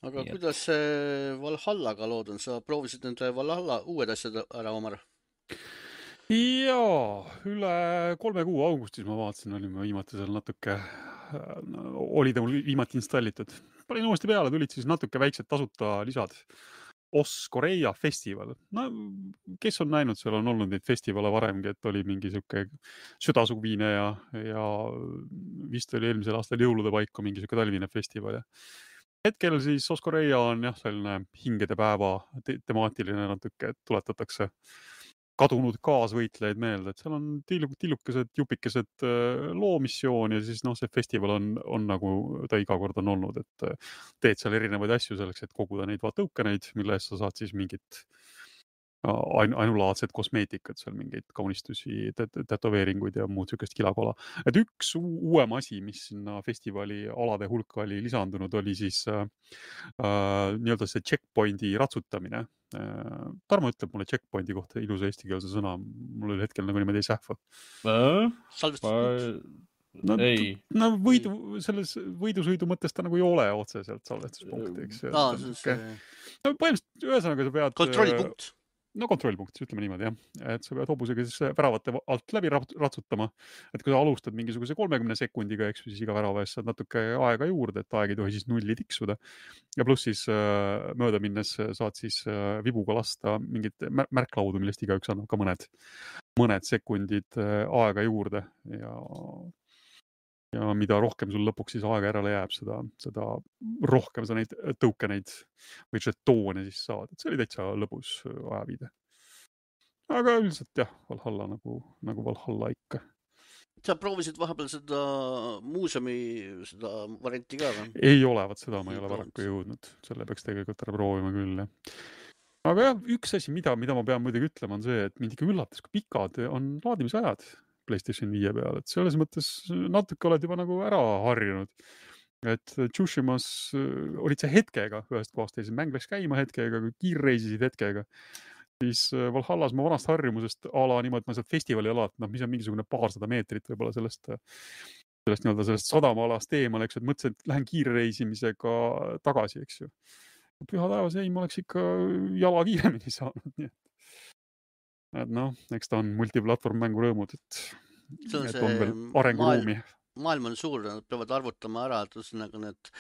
Aga kuidas Valhallaga lood on? Sa proovisid nende Valhalla uued asjad ära, Omar? Jaa, üle 3 kuu augustis ma vaatasin, olime viimati seal natuke, oli ta mul viimati installitud. Panin uuesti peale, tulid siis natuke väiksed tasuta lisad. Korea festival. No, kes on näinud, seal on olnud neid festivale varemgi, et oli mingi siuke südasuvine ja vist oli eelmisel aastal jõulude paiku mingi siuke talvine festival. Hetkel siis Korea on selline hingede päeva temaatiline natuke, et tuletatakse kadunud kaasvõitlejaid meelde, et seal on tillukesed, jupikesed loomissioon ja siis see festival on nagu ta iga kord on olnud, et teed seal erinevaid asju selleks, et koguda neid tõukeneid, mille eest sa saad siis mingit ainulaadsed kosmeetikud, seal mingeid kaunistusi, tätoveeringuid ja muud siukest kilakola. Et üks uuem asi, mis sinna festivali alade hulka oli lisandunud, oli siis nii-öelda see checkpointi ratsutamine. Tarmo ütleb mulle checkpointi kohta ilusa eestikeelse sõna, mul oli hetkel nagu niimoodi ei sähva. Selles võidusõidu mõttes ta nagu ei ole otseselt salvestuspunkt, eks. Põhimõtteliselt ühesõnaga sa pead... Kontrollipunkt. no kontrollpunktis, ütleme niimoodi jah, et sa pead hobusega siis väravate alt läbi ratsutama, et kui sa alustad mingisuguse 30 sekundiga, eks siis iga värava eest saad natuke aega juurde, et aeg ei tohi siis nulli tiksuda ja pluss siis mööda minnes saad siis vibuga lasta mingit märklaudu, millest igaüks annab ka mõned sekundid aega juurde ja mida rohkem sul lõpuks siis aega järele jääb, seda rohkem sa neid tokeneid või žetoone siis saad. Et see oli täitsa lõbus ajaviide. Aga üldiselt jah, Valhalla nagu Valhalla ikka. Sa proovisid vahepeal seda muuseumi seda varianti ka või? Ei ole, vaat seda ma ei ole paraku jõudnud. Selle peaks tegelikult ära proovima küll, jah. Aga jah, üks asi, mida ma pean muidugi ütlema, on see, et mind ikka üllatas, kui pikad on laadimisajad PlayStation 5 peal, et selles mõttes natuke oled juba nagu ära harjunud. Et Tsushimas olid see hetkega ühest kohast teises, mäng läks käima hetkega, kui kiirreisisid hetkega. Siis Valhallas ma vanast harjumusest ala niimoodi, et ma sealt festivali alalt, mis on mingisugune paarsada meetrit võib-olla sellest sadamaalast eemal, eks, et mõtlesin, et lähen kiirreisimisega tagasi, eks ju. Püha taevas, ei, ma oleks ikka jala kiiremini saanud, nii et noh, eks ta on multiplatvorm mängu rõõmud, et on veel arenguruumi. Maailm on suur, nad peavad arvutama ära, et üsnaga need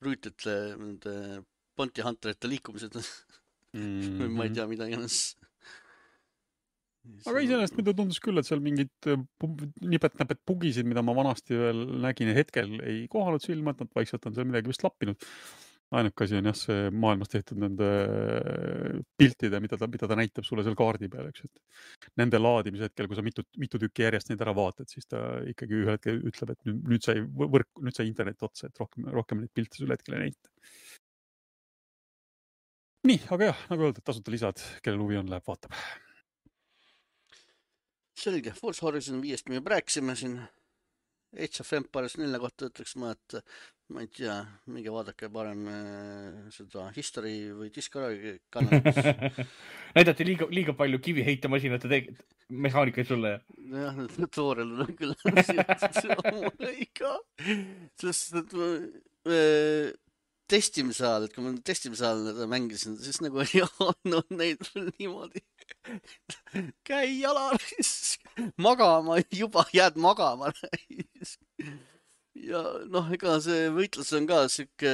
rüütlite, nende Bounty Hunterite liikumised või ma ei tea, mida iganes. Aga iseenesest mida tundus küll, et seal mingid nipet-näpet bugisid, mida ma vanasti veel nägin hetkel ei kohanud silma, et nad vaikselt on seal midagi vist lappinud. Ainuke asi on jah, see maailmas tehtud nende piltide, mida ta näitab sulle seal kaardi peal, eks, et nende laadimise hetkel, kui sa mitu tükki järjest neid ära vaatad, siis ta ikkagi ühel hetkel ütleb, et nüüd sai internet otsa, et rohkem neid pilte sulle hetkel ei näita. Nii, aga jah, nagu öeldud, tasuta lisad, kellel huvi on, läheb vaatab. Selge, Forza Horizon 5 me rääkisime siin. Age of Empires 4 kohta ütleks ma, et ma ei tea, minge vaadake parem seda History või Discovery kanalis. Näidati liiga palju kiviheitemasinate mehaanikaid sulle. Jah, tutorel on küll ikka. Sest testimise ajal, et kui ma testimise ajal mängisin, siis nagu ei olnud neid niimoodi. Käi jalaris, magama, juba jääd magama. Ja noh, ega see võitlus on ka siuke,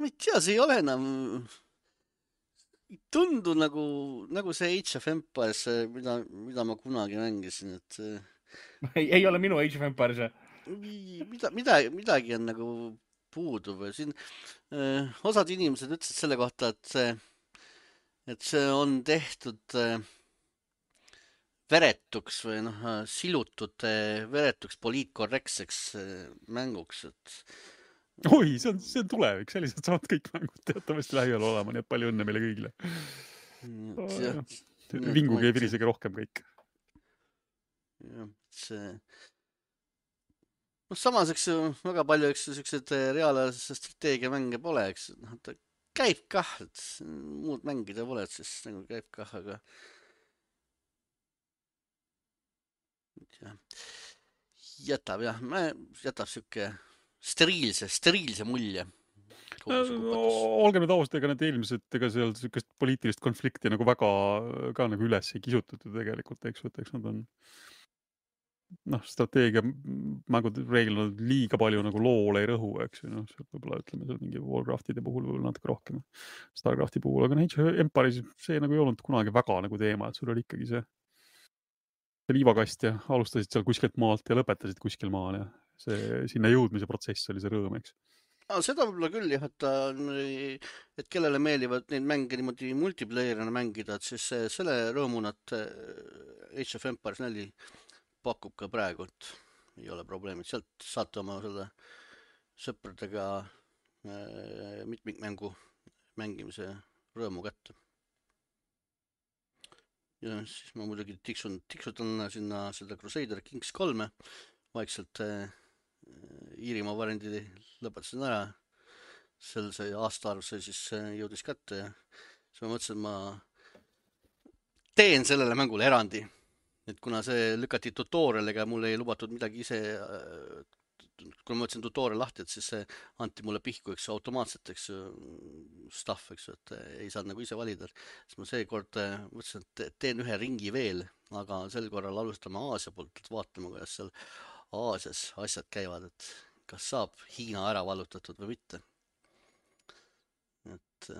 ma ei tea, see ei ole enam, ei tundu nagu see Age of Empires, mida ma kunagi mängisin, et ei ole minu Age of Empires. Midagi on nagu puudu või siin osad inimesed ütlesid selle kohta, et see on tehtud veretuks või silutud veretuks poliitkorrektseks mänguks, et oi, see on tulevik, sellised saavad kõik mängud teatavasti lähiajal olema, nii et palju õnne meile kõigile. Vinguge ja virisege rohkem kõik. Jah, see samas, eks väga palju, eks sellised reaalajase strateegiamänge pole, eks ta käib kah, et muud mängida pole, et siis nagu käib kah, aga jätab siuke steriilse mulje. Olgem nüüd ausad, ega need eelmised, ega seal siukest poliitilist konflikti nagu väga ka nagu üles ei kisutud tegelikult, eks nad on strateegia mängud reeglina liiga palju nagu loole ei rõhu, eks ju, võib-olla ütleme seal mingi Warcraftide puhul võib-olla natuke rohkem, Starcrafti puhul, aga Age of Empires see nagu ei olnud kunagi väga nagu teema, et sul oli ikkagi see liivakast ja alustasid seal kuskilt maalt ja lõpetasid kuskil maal ja see sinna jõudmise protsess oli see rõõm, eks. Seda võib-olla küll jah, et kellele meeldivad neid mänge niimoodi multiplayerina mängida, et siis selle rõõmunat Age of Empires 4 pakub ka praegu, et ei ole probleemi, sealt saate oma selle sõpradega mitmikmängu mängimise rõõmu kätte. Ja siis ma muidugi tiksutan sinna seda Crusader Kings 3 vaikselt Iirimaa variandi lõpetasin ära. See aastaarv see siis jõudis kätte ja siis ma mõtlesin, et ma teen sellele mängule erandi. Et kuna see lükati tutorialiga, mul ei lubatud midagi ise kui ma võtsin tutorial lahti, et siis anti mulle pihku, eks automaatselt, eks stuff, eks, et ei saanud nagu ise valida. Siis ma seekord mõtlesin, et teen ühe ringi veel, aga sel korral alustame Aasia poolt, et vaatame, kuidas seal Aasias asjad käivad, et kas saab Hiina ära vallutatud või mitte. Et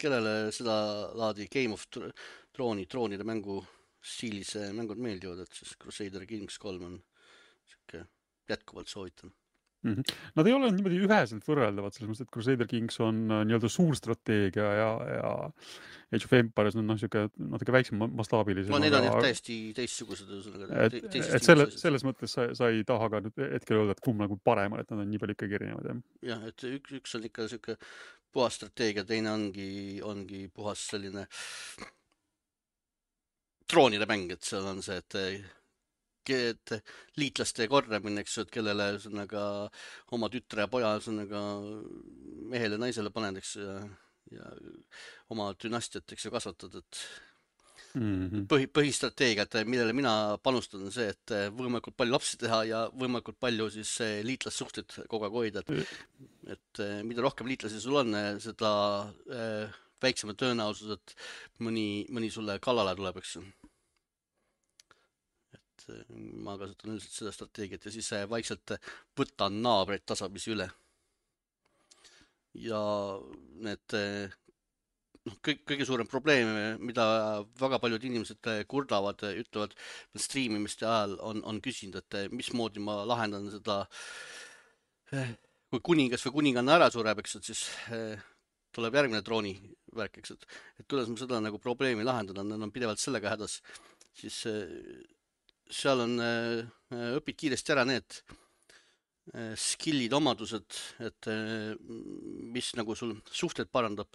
kellele seda laadi Game of troonide mängu stiilis mängud meeldivad, et siis Crusader Kings 3 on siuke jätkuvalt soovitan. Nad ei ole niimoodi üheselt võrreldavad, selles mõttes, et Crusader Kings on nii-öelda suur strateegia ja Age of Empires on siuke natuke väiksem mastaabilisem. No need on jah täiesti teistsugused. Et selles mõttes sa ei taha ka nüüd hetkel öelda, et kumb nagu parem, et nad on nii palju ikkagi erinevad. Jah, et üks on ikka siuke puhas strateegia, teine ongi puhas selline troonide mäng, et seal on see, et liitlaste korramine, eks, et kellele oma tütre ja poja mehele ja naisele paned, eks, ja oma dünastiat, eks, kasvatad, et põhistrateegia, et millele mina panustan, on see, et võimalikult palju lapsi teha ja võimalikult palju siis liitlassuhteid kogu aeg hoida, et mida rohkem liitlasi sul on, seda väiksema tõenäosus, et mõni sulle kallale tuleb, eks. Ma kasutan üldiselt seda strateegiat ja siis vaikselt võtan naabreid tasapisi üle. Ja need kõige suurem probleem, mida väga paljud inimesed kurdavad, ütlevad streamimiste ajal on küsinud, et mismoodi ma lahendan seda, kui kuningas või kuninganna ära sureb, eks, et siis tuleb järgmine trooni värk, eks, et kuidas ma seda nagu probleemi lahendan, nad on pidevalt sellega hädas, siis seal on, õpid kiiresti ära need skillid, omadused, et mis nagu sul suhted parandab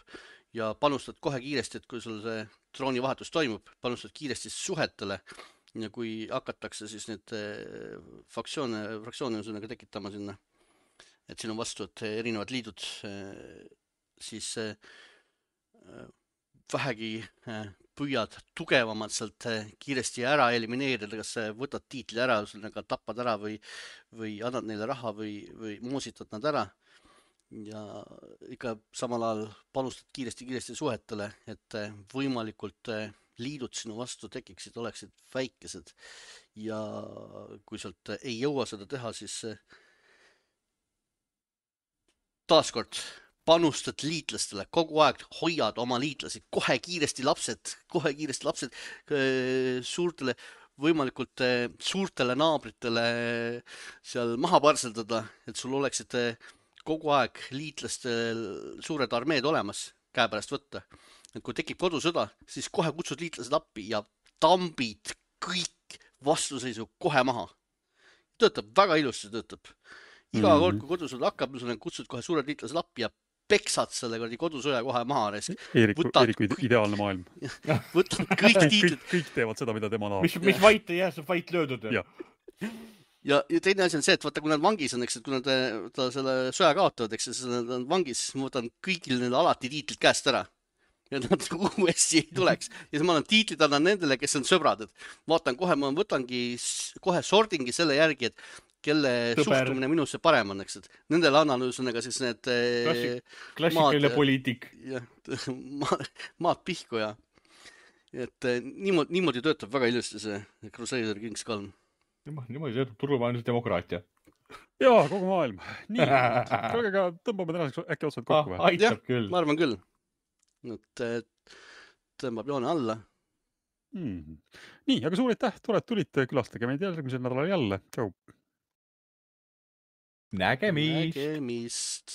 ja panustad kohe kiiresti, et kui sul see troonivahetus toimub, panustad kiiresti suhetele ja kui hakatakse siis need fraktsioone tekitama sinna, et siin on vastu, et erinevad liidud, siis vähegi püüad tugevamalt sealt kiiresti ära elimineerida, kas võtad tiitli ära, tappad ära või annad neile raha või moositad nad ära ja ikka samal ajal panustad kiiresti suhetele, et võimalikult liidud sinu vastu tekiksid, oleksid väikesed ja kui sealt ei jõua seda teha, siis taaskord panustad liitlastele, kogu aeg hoiad oma liitlasi, kohe kiiresti lapsed suurtele, võimalikult suurtele naabritele seal maha parseldada, et sul oleksid kogu aeg liitlastel suured armeed olemas käepärast võtta. Et kui tekib kodusõda, siis kohe kutsud liitlased appi ja tambid kõik vastuseisu kohe maha. Töötab väga ilusti, töötab. Iga kord, kui kodusõda hakkab, kutsud kohe suured liitlased appi ja peksad selle kodusõja kohe maha. Eeriku ideaalne maailm. Võtad kõik tiitlid. Kõik teevad seda, mida tema tahab. Mis vait ei jää, saab vait löödud. Ja teine asi on see, et vaata, kui nad vangis on, eks, et kui nad selle sõja kaotavad, eks, siis nad on vangis, siis ma võtan kõigil neile alati tiitlid käest ära. Ja nad uuesti ei tuleks. Ja siis ma annan tiitlid annan nendele, kes on sõbrad. Et vaatan kohe, ma võtangi kohe sordingi selle järgi, et kelle suhtumine minusse parem on, eks, et nendele annan ühesõnaga siis need klassikaline poliitik. Maad pihku ja et niimoodi töötab väga ilusti see Crusader Kings 3. Niimoodi töötab turumajandusdemokraatia. Jaa, kogu maailm. Nii, aga tõmbame tänaseks äkki otsad kokku või? Aitab küll. Ma arvan küll. Et tõmbab joone alla. Nii, aga suur aitäh, tore, et tulite, külastage meid järgmisel nädalal jälle. Tšau. Nägemist.